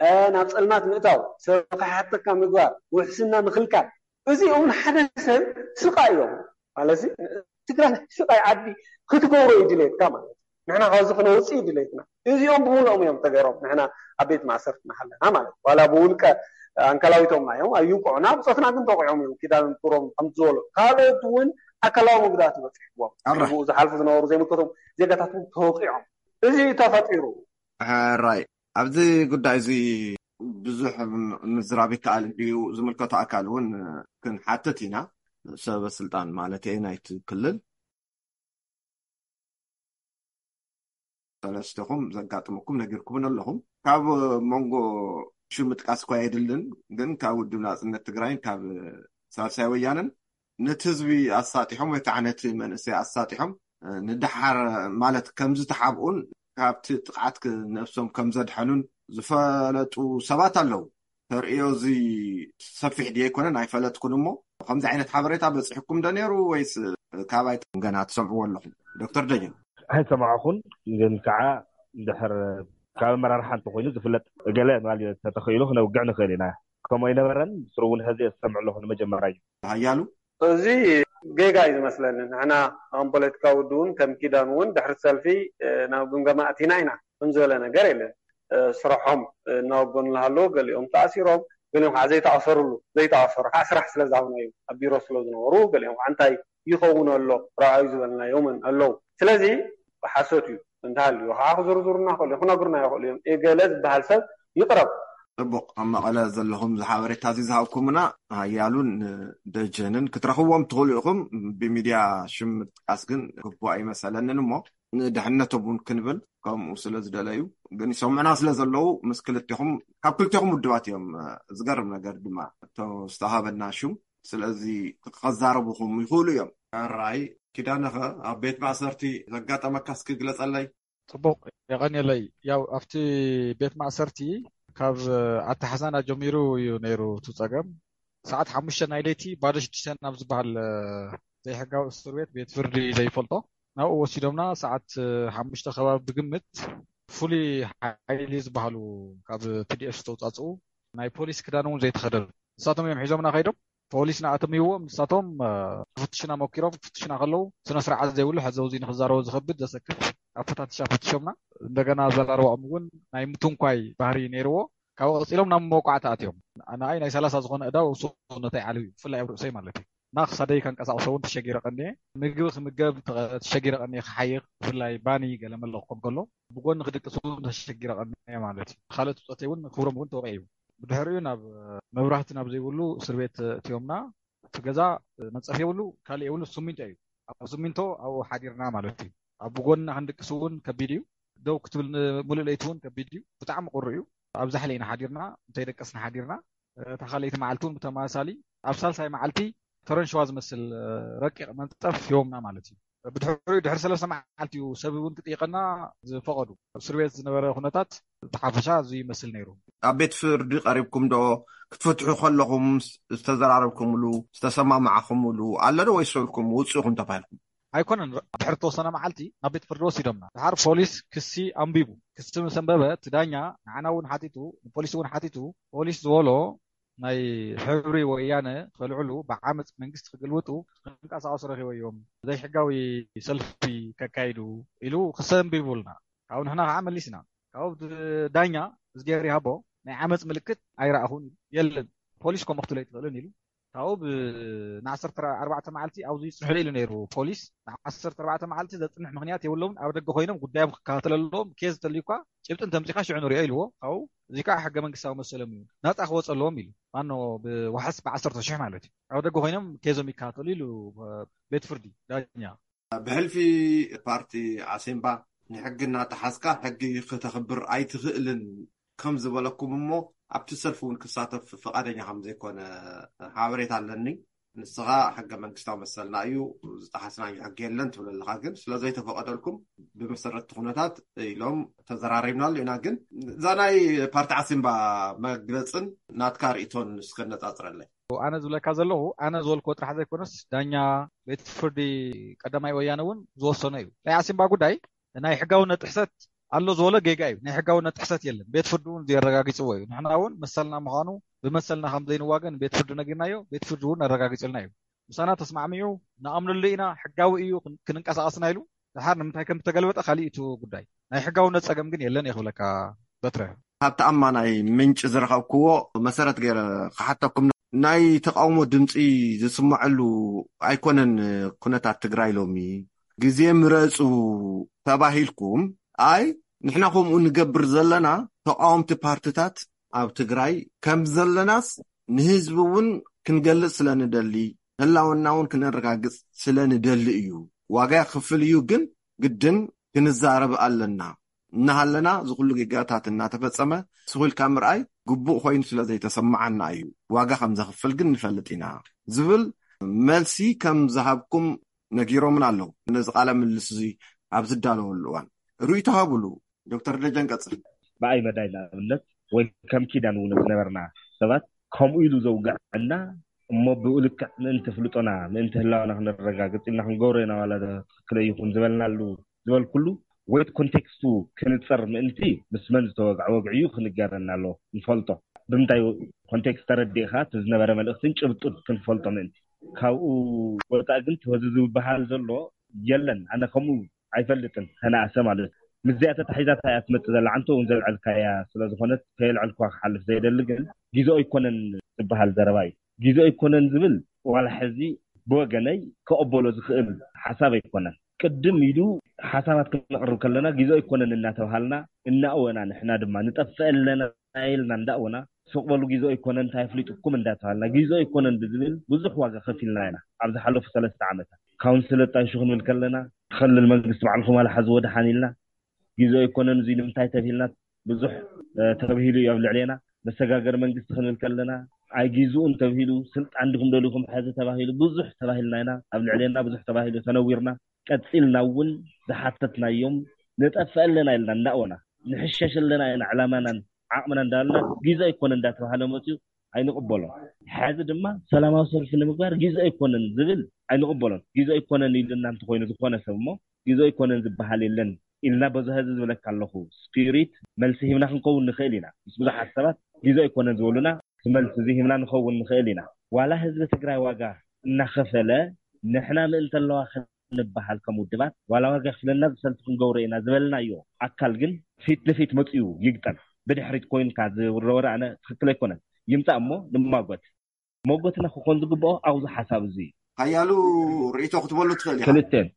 እ፣ ናብ ጸልማት ምእታው፣ ሰብ ከሓተካ ምግባር፣ ውሕስና ምኽልካል፣ እዚኦም ሓደ ሰብ ስቓይ እዮም ማለት እዩ። ትግራይ ስቓይ ዓዲ ክትገብሮ እዩ ድሌትካ ማለት እዩ። ንሕና ካብዚ ክነውፅእ እዩ ድሌትና። እዚኦም ብምልኦም እዮም ተገይሮም ንሕና ኣብ ቤት ማእሰርቲ እናሃለና ማለት እዩ። ዋላ ብውልቀ ኣንካላዊቶም እዮም ኣይውቅዑና፣ ብፆትና ግን ተውቂዖም እዮም። ኪዳን ክብሮም ከምቲ ዝበሎ ካልኦት እውን ኣካላዊ መጉዳእቲ በፂሕዎም። ኣረ። ብኡ ዝሓልፉ ዝነበሩ ዘይምልከቶም ዜጋታት እውን ተወቂዖም። እዚ እዩ ተፈጢሩ። ሕራይ፣ ኣብዚ ጉዳይ እዚ ብዙሕ ምዝራብ ይከኣል እንድዩ። ዝምልከቶ ኣካል እውን ክንሓትት ኢና። ሰበ ስልጣን ማለት እየ ናይቲ ክልል። ሰለስተኹም ዘጋጥመኩም ነጊርኩምን ኣለኹም። ካብ መንጎ ሽም ምጥቃስ እኳ የድልን፣ ግን ካብ ውድብ ናጽነት ትግራይን ካብ ሳልሳይ ወያነን ነቲ ህዝቢ ኣሳጢሖም ወይ ከዓ ነቲ መንእሰይ ኣሳጢሖም፣ እ፣ ንደሓር ማለት ከም ዝተሓብኡን ካብቲ ጥቕዓት ክ-፣ ነብሶም ከም ዘድሐኑን ዝፈለጡ ሰባት ኣለዉ። ተርእዮ እዚ ሰፊሕ ድየ ኣይኮነን ኣይፈለጥኩን እሞ፣ ከምዚ ዓይነት ሓበሬታ በፂሕኩም ዶ ነይሩ ወይስ ካባይ ገና ትሰምዕዎ ኣለኹም? ዶክተር ደጀን። ኣይሰማዕኹን፣ ግን ከዓ እንድሕር ካብ ኣመራርሓ እንተኮይኑ ዝፍለጥ ገለ ማለት ተተኽኢሉ ክነውግዕ ንኽእል ኢና። ከምኡ ኣይነበረን፣ ብስሩ እውን ሕዚ እየ ዝሰምዕ ኣለኹ ንመጀመርያ እዩ። ሓያሉ። እዚ ጌጋ እዩ ዝመስለኒ። ንሕና ከም ፖለቲካዊ ውድብ እውን ከም ኪዳን እውን ድሕሪ ሰልፊ፣ እ፣ ናብ ግምገማ ኣቲና ኢና። ከም ዝበለ ነገር የለን። እ፣ ስርሖም፣ እ፣ እናወገኑ እናሃለዉ ገሊኦም ተኣሲሮም፣ ገሊኦም ከዓ ዘይተኣሰርሉ፣ ዘይተኣሰሩ ከዓ ስራሕ ስለ ዝሃብናዮም ኣብ ቢሮ ስለ ዝነበሩ ገሊኦም ከዓ እንታይ ይኸውን ኣሎ ረኣዩ ዝበልናዮምን ኣለዉ። ስለዚ ሓሶት እዩ እንተሃልዩ ከዓ ክዝርዝሩና ይኽእሉ እዮም፣ ክነግሩና ይኽእሉ እዮም። ኤገለ ዝበሃል ሰብ ይቕረብ። ጽቡቕ፣ ኣብ መቐለ ዘለኹም እዚ ሓበሬታ እዚ ዝሃብኩምና ሓያሉን ደጀንን ክትረኽብዎም ትኽእሉ ኢኹም። ብሚድያ ሽም ምጥቃስ ግን ግቡእ ኣይመሰለንን እሞ ንድሕነቶም እውን ክንብል ከምኡ ስለ ዝደለዩ ግን ይሰምዑና ስለ ዘለዉ ምስ ክልቴኹም፣ ካብ ክልቴኹም ውድባት እዮም። ዝገርም ነገር ድማ እቶ ዝተሃበና ሽም ስለዚ ከዛረቡኹም ይኽእሉ እዮም። ሕራይ ኪዳነኸ ኣብ ቤት ማእሰርቲ ዘጋጠመካ እስኪ ግለጸለይ። ጽቡቕ የቐንየለይ። ያው ኣብቲ ቤት ማእሰርቲ ካብ ኣተሓዛና ጀሚሩ እዩ ነይሩ እቲ ጸገም። ሰዓት ሓሙሽተ ናይ ለይቲ ባዶ ሽዱሽተ ናብ ዝበሃል ዘይሕጋዊ እስር ቤት፣ ቤት ፍርዲ ዘይፈልጦ ናብኡ ወሲዶምና። ሰዓት ሓሙሽተ ከባቢ ብግምት ፍሉይ ሓይሊ ዝበሃሉ ካብ ቲ ዲ ኤፍ ዝተውጻጽኡ ናይ ፖሊስ ክዳን እውን ዘይተኸደኑ ንሳቶም እዮም ሒዞምና ከይዶም። ፖሊስ ንኣተምይዎም ንሳቶም፣ እ፣ ክፍትሹና ሞኪሮም። ክፍትሹና ከለዉ ስነ ስርዓት ዘይብሉ፣ ሕዚ እዚ ንክዛረቦ ዝኸብድ ዘሰክፍ ኣፈታትሻ ፈትሾምና። እንደገና ኣዘራርባኦም እውን ናይ ምትንኳይ ባህሪ ነይርዎ። ካብኡ ቀፂሎም ናብ መወቃዕቲ ኣትዮም። ንኣይ ናይ ሰላሳ ዝኾነ ዕዳ ኣብ ሰውነተይ ዓልዩ እዩ፣ ብፍላይ ኣብ ርእሰይ ማለት እዩ። እና ክሳደይ ከንቀሳቕሶ እውን ተሸጊረ ቀንየ። ምግቢ ክምገብ ተ-፣ ተሸጊረ ቀንየ፣ ክሓይኽ፣ ብፍላይ ባኒ ገለ መለ ክኾን ከሎ ብጎኒ ክድቅስ እውን ተሸጊረ ቀንየ ማለት እዩ። ካልኦት ብፆተይ እውን ክብሮም እውን ተወቂዑ። ብድሕሪኡ ናብ መብራህቲ ናብ ዘይብሉ እስር ቤት እትዮምና። እቲ ገዛ መንፀፍ የብሉ፣ ካልእ የብሉ፣ ስሚንቶ እዩ። ኣብ ስሚንቶ ኣብኡ ሓዲርና ማለት እዩ። ኣብ ጎንና ክንድቅስ እውን ከቢድ እዩ። ደው ክትብል ን-፣ ሙሉእ ለይቲ እውን ከቢድ እዩ። ብጣዕሚ ቁሪ እዩ። ኣብ ዛሕሊ ኢና ሓዲርና፣ እንተይደቀስና ሓዲርና። እታ ካልኣይቲ መዓልቲ እውን ብተመሳሳሊ ኣብ ሳልሳይ መዓልቲ ተረንሸዋ ዝመስል ረቂቕ መንፀፍ ሂቦምና ማለት እዩ። ብድሕሪኡ ድሕሪ ሰለስተ መዓልቲ እዩ ሰብ እውን ክጥይቐና ዝፈቐዱ። ኣብ እስር ቤት ዝነበረ ኩነታት ብሓፈሻ እዚ ይመስል ነይሩ። ኣብ ቤት ፍርዲ ቀሪብኩም ዶ ክትፈትሑ ከለኹም ዝተዘራረብኩምሉ ዝተሰማማዕኩምሉ ኣሎ ዶ ወይስ ኢልኩም ውፅእኹም ተባሂልኩም? ኣይኮነን። ድሕሪ ተወሰነ መዓልቲ ናብ ቤት ፍርዲ ወሲዶምና። ድሓር ፖሊስ ክሲ ኣንቢቡ። ክሲ ምስ ኣንበበ እቲ ዳኛ ንዓና እውን ሓቲቱ፣ ንፖሊስ እውን ሓቲቱ፣ ፖሊስ ዝበሎ ናይ ሕብሪ ወያነ ከልዕሉ፣ ብዓመፅ መንግስቲ ክግልብጡ ክንቀሳቐሱ ረኺበዮም፣ ዘይሕጋዊ ሰልፊ ከካይዱ ኢሉ ክሲ ኣንቢቡልና። ካብኡ ንሕና ከዓ መሊስና። ካብኡ እቲ ዳኛ እዝጌር ይሃቦ ናይ ዓመፅ ምልክት ኣይረኣኹን ኢሉ። የለን፣ ፖሊስ ከምኡ ክትብል ኣይትኽእልን ኢሉ። ካብኡ ብ-፣ ንዓሰርተ ኣርባዕተ መዓልቲ ኣብዚ ይፅንሑለይ ኢሉ ነይሩ ፖሊስ። ንዓሰርተ ኣርባዕተ መዓልቲ ዘፅንሕ ምኽንያት የብሎምን፣ ኣብ ደገ ኮይኖም ጉዳዮም ክከታተሉ ኣለዎም፣ ኬዝ እንተልዩ እኳ ጭብጢ እንተምፂኻ ሽዑ ንሪኦ ኢልዎ። ካብኡ እዚ ከዓ ሕገ መንግስታዊ መሰሎም እዩ፣ ናፃ ክወፁ ኣለዎም ኢሉ። ማኖ ብዋሕስ ብዓሰርተ ሺሕ ማለት እዩ። ኣብ ደገ ኮይኖም ኬዞም ይከታተሉ ኢሉ ቤት ፍርዲ ዳኛ። ብሕልፊ ፓርቲ ዓሲምባ ንሕጊ እናጠሓስካ ሕጊ ክተኽብር ኣይትኽእልን ከም ዝበለኩም እሞ ኣብቲ ሰልፊ እውን ክሳተፍ ፍቓደኛ ከም ዘይኮነ ሓበሬታ ኣለኒ። ንስኻ ሕገ መንግስታዊ መሰልና እዩ፣ ዝጠሓስናዮ ሕጊ የለን ትብል ኣለኻ። ግን ስለ ዘይተፈቐደልኩም ብመሰረት እቲ ኩነታት ኢሎም ተዘራሪብናሉ ኢና። ግን እዛ ናይ ፓርቲ ዓሲምባ መግለፅን ናትካ ርእቶን እስከ ነፃፅረለይ። ኣነ ዝብለካ ዘለኹ፣ ኣነ ዝበልክዎ ጥራሕ ዘይኮነስ፣ ዳኛ ቤት ፍርዲ ቀዳማይ ወያነ እውን ዝወሰኖ እዩ። ናይ ዓሲምባ ጉዳይ ናይ ሕጋውነት ጥሕሰት ኣሎ ዝበሎ ጌጋ እዩ። ናይ ሕጋውነት ጥሕሰት የለን። ቤት ፍርዲ እውን ዘረጋጊፅዎ እዩ። ንሕና እውን መሰልና ምዃኑ፣ ብመሰልና ከም ዘይንዋገን ቤት ፍርዲ ነጊርናዮ፣ ቤት ፍርዲ እውን ኣረጋጊፅልና እዩ። ምሳና ተስማዕሚዑ፣ ንኣምነሉ ኢና፣ ሕጋዊ እዩ፣ ክን- ክንንቀሳቐስና ኢሉ፣ ድሓር ንምንታይ ከም ዝተገልበጠ ካሊእ እቲ ጉዳይ። ናይ ሕጋውነት ፀገም ግን የለን እየ ክብለካ በትረ። ካብ ተኣማናይ ምንጪ ዝረኸብክዎ መሰረት ገይረ ክሓተኩም፣ ናይ ተቃውሞ ድምፂ ዝስመዐሉ ኣይኮነን ኩነታት ትግራይ ሎሚ። ግዜ ምረፁ ተባሂልኩም፣ ኣይ ንሕና ከምኡ ንገብር ዘለና፣ ተቃወምቲ ፓርትታት ኣብ ትግራይ ከም ዘለናስ ንህዝቢ እውን ክንገልፅ ስለ ንደሊ፣ ህላወና እውን ክነረጋግፅ ስለ ንደሊ እዩ። ዋጋ ክፍል እዩ፣ ግን ግድን ክንዛረብ ኣለና። እናሃለና እዚ ኩሉ ጌጋታት እናተፈጸመ ስኹ ኢልካ ምርኣይ ግቡእ ኮይኑ ስለ ዘይተሰማዓና እዩ። ዋጋ ከም ዘኽፍል ግን ንፈልጥ ኢና ዝብል መልሲ ከም ዝሃብኩም ነጊሮምን ኣለዉ። ነዚ ቃለ ምልልስ እዚ ኣብ ዝዳለወሉ እዋን ርእይቶ ሃብሉ። ዶክተር ደጀን ቀጽል። ብኣይ መዳይ ንኣብነት ወይ ከም ኪዳን እውን ዝነበርና ሰባት ከምኡ ኢሉ ዘውግዐና እሞ ብኡ ልክዕ ምእንቲ ፍልጦና ምእንቲ ህላወና ክነረጋግፅ ኢልና ክንገብሮ ኢና ዋላ ትክክለ ይኹን ዝበልናሉ ዝበልኩሉ ወይ ኮንቴክስቱ ክንፀር ምእንቲ ምስ መን ዝተወግዐ ወግዒ እዩ ክንገረና ኣሎ ንፈልጦ ብምንታይ ኮንቴክስት ተረዲእካ እቲ ዝነበረ መልእክትን ጭብጡን ክንፈልጦ ምእንቲ ካብኡ ወፃእ ግን ተወዚ ዝበሃል ዘሎ የለን ኣነ ከምኡ ኣይፈልጥን ተነኣሰ ማለት ምስዚኣ ተታሒዛታ እያ ትመፅእ ዘላ ዓንተ እውን ዘልዐልካያ ስለዝኮነት ከየልዐልኳ ክሓልፍ ዘይደሊ ግን ግዜኦ ኣይኮነን ዝበሃል ዘረባ እዩ ግዜኦ ኣይኮነን ዝብል ዋላ ሕዚ ብወገነይ ክቕበሎ ዝኽእል ሓሳብ ኣይኮነን ቅድም ኢሉ ሓሳባት ክነቕርብ ከለና ግዜኦ ኣይኮነን እናተባሃልና እናእወና ንሕና ድማ ንጠፍእ ኣለና ኢልና እንዳእወና ስቕ በሉ ግዜኦ ኣይኮነን እንታይ ኣፍሊጡኩም እንዳተባሃልና ግዜኦ ኣይኮነን ብዝብል ብዙሕ ዋጋ ከፊልና ኢና ኣብ ዝሓለፉ ሰለስተ ዓመታት ካውንስል ኣጣይሹ ክንብል ከለና ክልል መንግስቲ ባዕልኩም ኣልሓዝዎ ደሓን ኢልና ግዜኦ ኣይኮነን እዙይ ንምንታይ ተብሂልና ብዙሕ ተብሂሉ እዩ ኣብ ልዕሌና መሰጋገሪ መንግስቲ ክንብል ከለና ኣይጊዝኡን ተብሂሉ ስልጣን ዲኹም ደሊኹም ሕዚ ተባሂሉ ብዙሕ ተባሂልና ኢና ኣብ ልዕሌና ብዙሕ ተባሂሉ ተነዊርና ቀፂልና እውን ዝሓተትናዮም ንጠፍእ ኣለና ኢልና እንዳእወና ንሕሸሽ ኣለና ኢና ዕላማናን ዓቕምና እንዳበልና ግዜ ኣይኮነ እንዳተባሃለ መፅዩ ኣይንቕበሎን። ሕዚ ድማ ሰላማዊ ሰልፊ ንምግባር ግዜ ኣይኮነን ዝብል ኣይንቕበሎን። ግዜ ኣይኮነን ኢሉና እንተኮይኑ ዝኾነ ሰብ እሞ ግዜ ኣይኮነን ዝበሃል የለን ኢልና በዚ ህዚ ዝብለካ ኣለኹ ስፒሪት መልሲ ሂብና ክንከውን ንኽእል ኢና። ምስ ብዙሓት ሰባት ግዜ ኣይኮነን ዝበሉና እቲ መልሲ እዚ ሂብና ንኸውን ንኽእል ኢና። ዋላ ህዝቢ ትግራይ ዋጋ እናኸፈለ ንሕና ምእንተ ኣለዋ ክንበሃል ከም ውድባት ዋላ ዋጋ ክፍለና ዝሰልፊ ክንገብሮ ኢና ዝበልናዮ ኣካል ግን ፊት ንፊት መፅኡ ይግጠም ብድሕሪት ኮይንካ ዝውረወረ ኣነ ትክክል ኣይኮነን ይምፃእ እሞ ንማጎት መጎትና ክኾን ዝግብኦ ኣብዚ ሓሳብ እዚ ሓያሉ ርእይቶ ክትበሉ ትኽእል ኢኻ። ክልቴን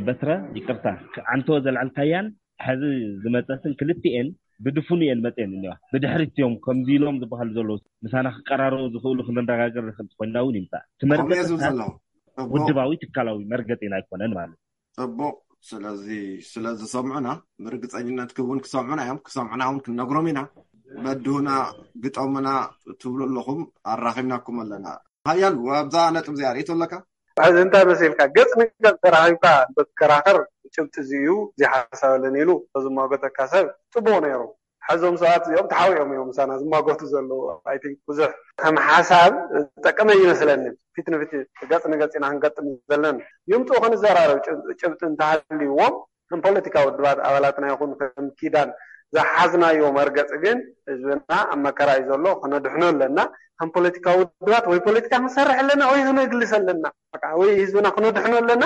በትረ ይቅርታ ዓንቶ ዘልዓልካያን ሕዚ ዝመፀትን ክልቲኤን ብድፉን እየን መፅየን እኒዋ ብድሕሪት እዮም ከምዚ ኢሎም ዝበሃሉ ዘለዉ ምሳና ክቀራረቡ ዝኽእሉ ክንነጋገር ንኽእል ኮይንና እውን ይምፃእ ትመርገፅታት ውድባዊ ትካላዊ መርገፂና ኣይኮነን ማለት ፅቡቕ ስለዚ ስለዝሰምዑና ብርግፀኝነት ክውን ክሰምዑና እዮም ክሰምዑና እውን ክንነግሮም ኢና በድሁና ግጠሙና ትብሉ ኣለኹም ኣራኺብናኩም ኣለና ሓያሉ ኣብዛ ነጥብ እዚኣ ርእቶ ኣለካ ሕዚ እንታይ መሲልካ ገፅ ንገፅ ተራኺብካ እንተትከራኸር ጭብጢ እዚ እዩ እዚ ሓሳብ ኣለኒ ኢሉ ተዝማጎተካ ሰብ ፅቡቅ ነይሩ ሕዞም ሰባት እዚኦም ተሓዊኦም እዮም ምሳና ዝማጎቱ ዘለዉ I think ብዙሕ ከም ሓሳብ ዝጠቀመ ይመስለኒ ፊት ንፊት ገፅ ንገፅ ኢና ክንገጥም ዘለና ይምፅኡ ክንዘራረብ ጭብጢ እንተሃልይዎም ከም ፖለቲካ ውድባት ኣባላትና ይኹን ከም ኪዳን ዝሓዝናዮ መርገፂ ግን ህዝብና ኣብ መከራ እዩ ዘሎ ክነድሕኖ ኣለና ከም ፖለቲካ ውድባት ወይ ፖለቲካ ክንሰርሕ ኣለና ወይ ክነግልስ ኣለና ወይ ህዝብና ክነድሕኖ ኣለና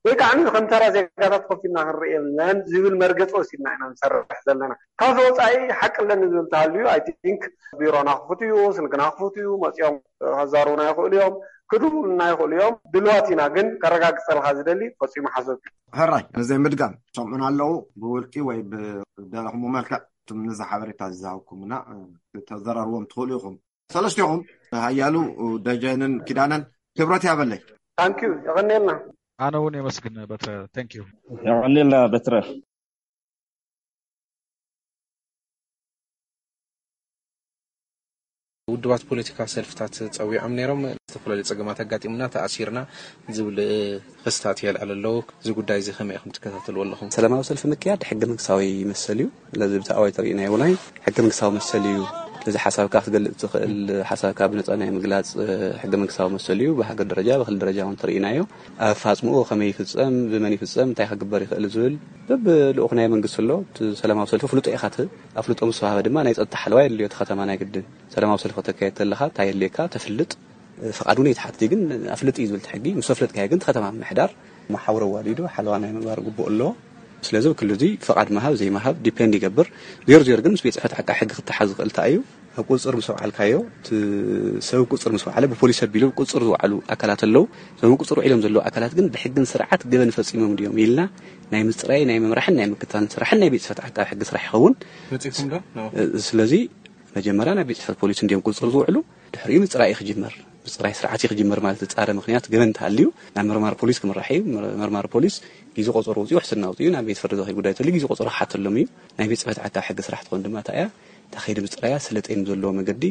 ወይ ከዓ ከም ተራ ዜጋታት ኮፍ ኢልና ክንርኢ የለን ዝብል መርገፂ ወሲድና ኢና ንሰርሕ ዘለና ካብዚ ወፃኢ ሓቂ ኣለኒ ዝብል ተሃልዩ I think ቢሮና ክፉት እዩ ስልክና ክፉት እዩ መፂኦም ከዛሩና ይኽእሉ እዮም ክድውሉና ይኽእሉ እዮም ድልዋት ኢና ግን ከረጋግፀልካ ዝደሊ ፈፂሙ ሓሶት እዩ ሕራይ ንዘይ ምድጋም ሰምዑና ኣለዉ ብውልቂ ወይ ብደለኹም መልክዕ ትም ንዚ ሓበሬታ ዝዝሃብኩምና ተዘራርዎም ትኽእሉ ኢኹም ሰለስቲኹም ሃያሉ ደጀንን ኪዳነን ክብረት ያበለይ ታንኪዩ የቐኔልና ኣነ እውን የመስግን በትረ ታንኪዩ የቐኔልና በትረ ውድባት ፖለቲካ ሰልፍታት ፀዊዖም ነይሮም ዝተፈላለዩ ጸገማት ኣጋጢሙና ተኣሲርና ዝብል ክስታት የልዓል ኣለዉ። እዚ ጉዳይ እዚ ከመይ ኢኹም ትከታተልዎ ኣለኹም? ሰላማዊ ሰልፊ ምክያድ ሕገ መንግስታዊ መሰል እዩ። ስለዚ ብቲ ኣዋጅ ተርእናዮ ውናይ ሕገ መንግስታዊ መሰል እዩ። ስለዚ ሓሳብካ ክትገልጽ ትኽእል፣ ሓሳብካ ብነጻ ናይ ምግላጽ ሕገ መንግስታዊ መሰል እዩ። ብሃገር ደረጃ ብክልል ደረጃ እውን ተርእናዮ። ኣፋጽምኡ ከመይ ይፍጸም፣ ብመን ይፍጸም፣ እንታይ ክግበር ይኽእል ዝብል በብልኡኽ ናይ መንግስቲ ኣሎ። እቲ ሰላማዊ ሰልፊ ፍልጦ ኢኻ ትህብ። ኣፍልጦ ምስ ወሃበ ድማ ናይ ጸጥታ ሓለዋ የድልዮ እቲ ከተማ ናይ ግድን። ሰላማዊ ሰልፊ ከተካየድ ተለኻ እንታይ የድልየካ ተፍልጥ። ፍቓድ እውን ኣይትሓትት ግን ኣፍልጥ እዩ ዝብል እቲ ሕጊ። ምስ ኣፍለጥካዮ ግን እቲ ከተማ ምምሕዳር መሓውር ኣዋዲዱ ሓለዋ ናይ ምግባር ግቡእ ኣለዎ። ስለዚ ኣብ ክሊ እዚ ፍቓድ ምሃብ ዘይምሃብ ዲፔንድ ይገብር። ዜሮ ዜሮ ግን ምስ ቤት ፅሕፈት ዓቃቢ ሕጊ ክተሓዝ ዝኽእል እንታይ እዩ? ኣብ ቁፅፅር ምስ ኣውዓልካዮ እቲ ሰብ ቁፅፅር ምስ ወዓለ ብፖሊስ ኣቢሉ ቁፅፅር ዝወዓሉ ኣካላት ኣለዉ። እዞም ቁፅፅር ውዒሎም ዘለዉ ኣካላት ግን ብሕግን ስርዓት ገበን ፈፂሞም ድዮም ኢልና ናይ ምፅራይ ናይ ምምራሕን ናይ ምክታልን ስራሕን ናይ ቤት ፅሕፈት ዓቃቢ ሕጊ ስራሕ ይኸውን። መፂኹም ዶ? ስለዚ መጀመርያ ናብ ቤት ፅሕፈት ፖሊስ እንዲዮም ቁፅፅር ዝውዕሉ። ድሕሪኡ ምፅራይ ክጅመር፣ ምፅራይ ስርዓት ክጅመር ማለት ዝፃረ ምክንያት ገበን እንተሃልዩ ናብ መርማሪ ፖሊስ ክምራሕ እዩ። መርማሪ ፖሊስ ግዜ ቆፀሮ ውፅኡ ሕስና ውፅኡ ናብ ቤት ፍርዲ ዝኸይድ ጉዳይ ተልዩ ግዜ ቆፀሮ ክሓተሎም እዩ። ናይ ቤት ፅሕፈት ዓቃቢ ሕጊ ስራሕ ትኾን ድማ እንታይ እያ? እታ ከይዲ ምፅራያ ስለጤን ዘለዎ መገዲ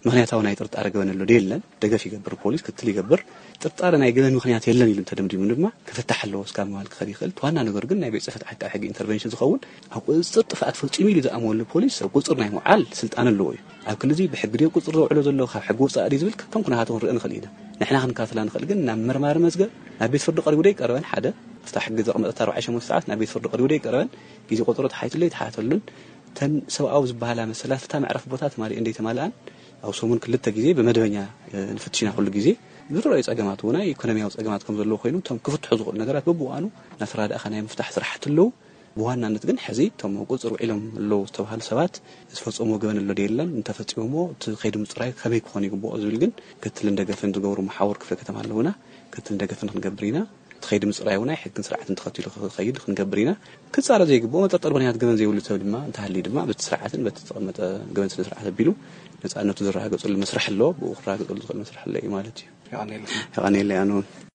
ምክንያታዊ ናይ ጥርጣረ ገበን ኣሎ ዶ የለን ደገፍ ይገብር፣ ፖሊስ ክትል ይገብር። ጥርጣረ ናይ ገበን ምክንያት የለን ኢሉ እንተደምዲሙ ድማ ክፍታሕ ኣለዎ እስካብ ምባል ክኸድ ይኽእል። እቲ ዋና ነገር ግን ናይ ቤት ፅሕፈት ዓቃቢ ሕጊ ኢንተርቨንሽን ዝኸውን ኣብ ቁፅፅር ጥፍኣት ፈፂሙ ኢሉ ዝኣመወሉ ፖሊስ ኣብ ቁፅፅር ናይ ምውዓል ስልጣን ኣለዎ እዩ። ኣብ ክሊ እዚ ብሕጊ ድዮ ቁፅፅር ዘውዕሎ ዘሎ ካብ ሕጊ ወፃኢ ድዩ ዝብል ከም ኩነታቱ ክንርኢ ንኽእል ኢና። ንሕና ክንከታተላ ንኽእል ግን ናብ መርማሪ መዝገብ ናብ ቤት ፍርዲ ቀሪቡ ዶ ይቀረበን ሓደ ኣብታ ሕጊ ዘቕመጠት ኣርባዕተ ሸሞንተ ሰዓት ናብ ቤት ፍርዲ ቀሪቡ ዶ ይቀረበን ግዜ ቆፀሮ ተሓይትሉ ይተሓተሉን እተን ሰብኣዊ ዝበሃላ መሰላት እታ መዕረፊ ቦታ ተማሊኡ እንደይተማልኣን ኣብ ሰሙን ክልተ ግዜ ብመደበኛ ንፍትሽ ኢና ኩሉ ግዜ ዝረኣዩ ፀገማት እውን ናይ ኢኮኖሚያዊ ፀገማት ከም ዘለዎ ኮይኑ እቶም ክፍትሑ ዝኽእሉ ነገራት በብዋኑ እናተራዳእኻ ናይ ምፍታሕ ስራሕቲ ኣለዉ። ብዋናነት ግን ሕዚ እቶም ኣብ ቁፅፅር ውዒሎም ኣለዉ ዝተባሃሉ ሰባት ዝፈፀምዎ ገበን ኣሎ ዶ የለን እንተፈፂሞሞ እቲ ከይዲ ምፅራይ ከመይ ክኾን ይግብኦ ዝብል ግን ክትልን ደገፍን ዝገብሩ መሓውር ክፍለ ከተማ ኣለዉና። ክትልን ደገፍን ክንገብር ኢና። እቲ ከይዲ ምፅራይ እውን ናይ ሕግን ስርዓትን ተኸቲሉ ክኸይድ ክንገብር ኢና። ክፃረ ዘይግብኦ መጠርጠር ምክንያት ገበን ዘይብሉ ሰብ ድማ እንተሃልዩ ድማ በቲ ስርዓትን በቲ ዝተቐመጠ ገበን ስነ ስርዓት ኣቢሉ ነፃነቱ ዝረጋገፀሉ መስርሕ ኣሎ። ብኡ ክረጋገፀሉ ዝኽእል መስርሕ ኣሎ እዩ ማለት እዩ። የቐንየለይ ኣነ እውን።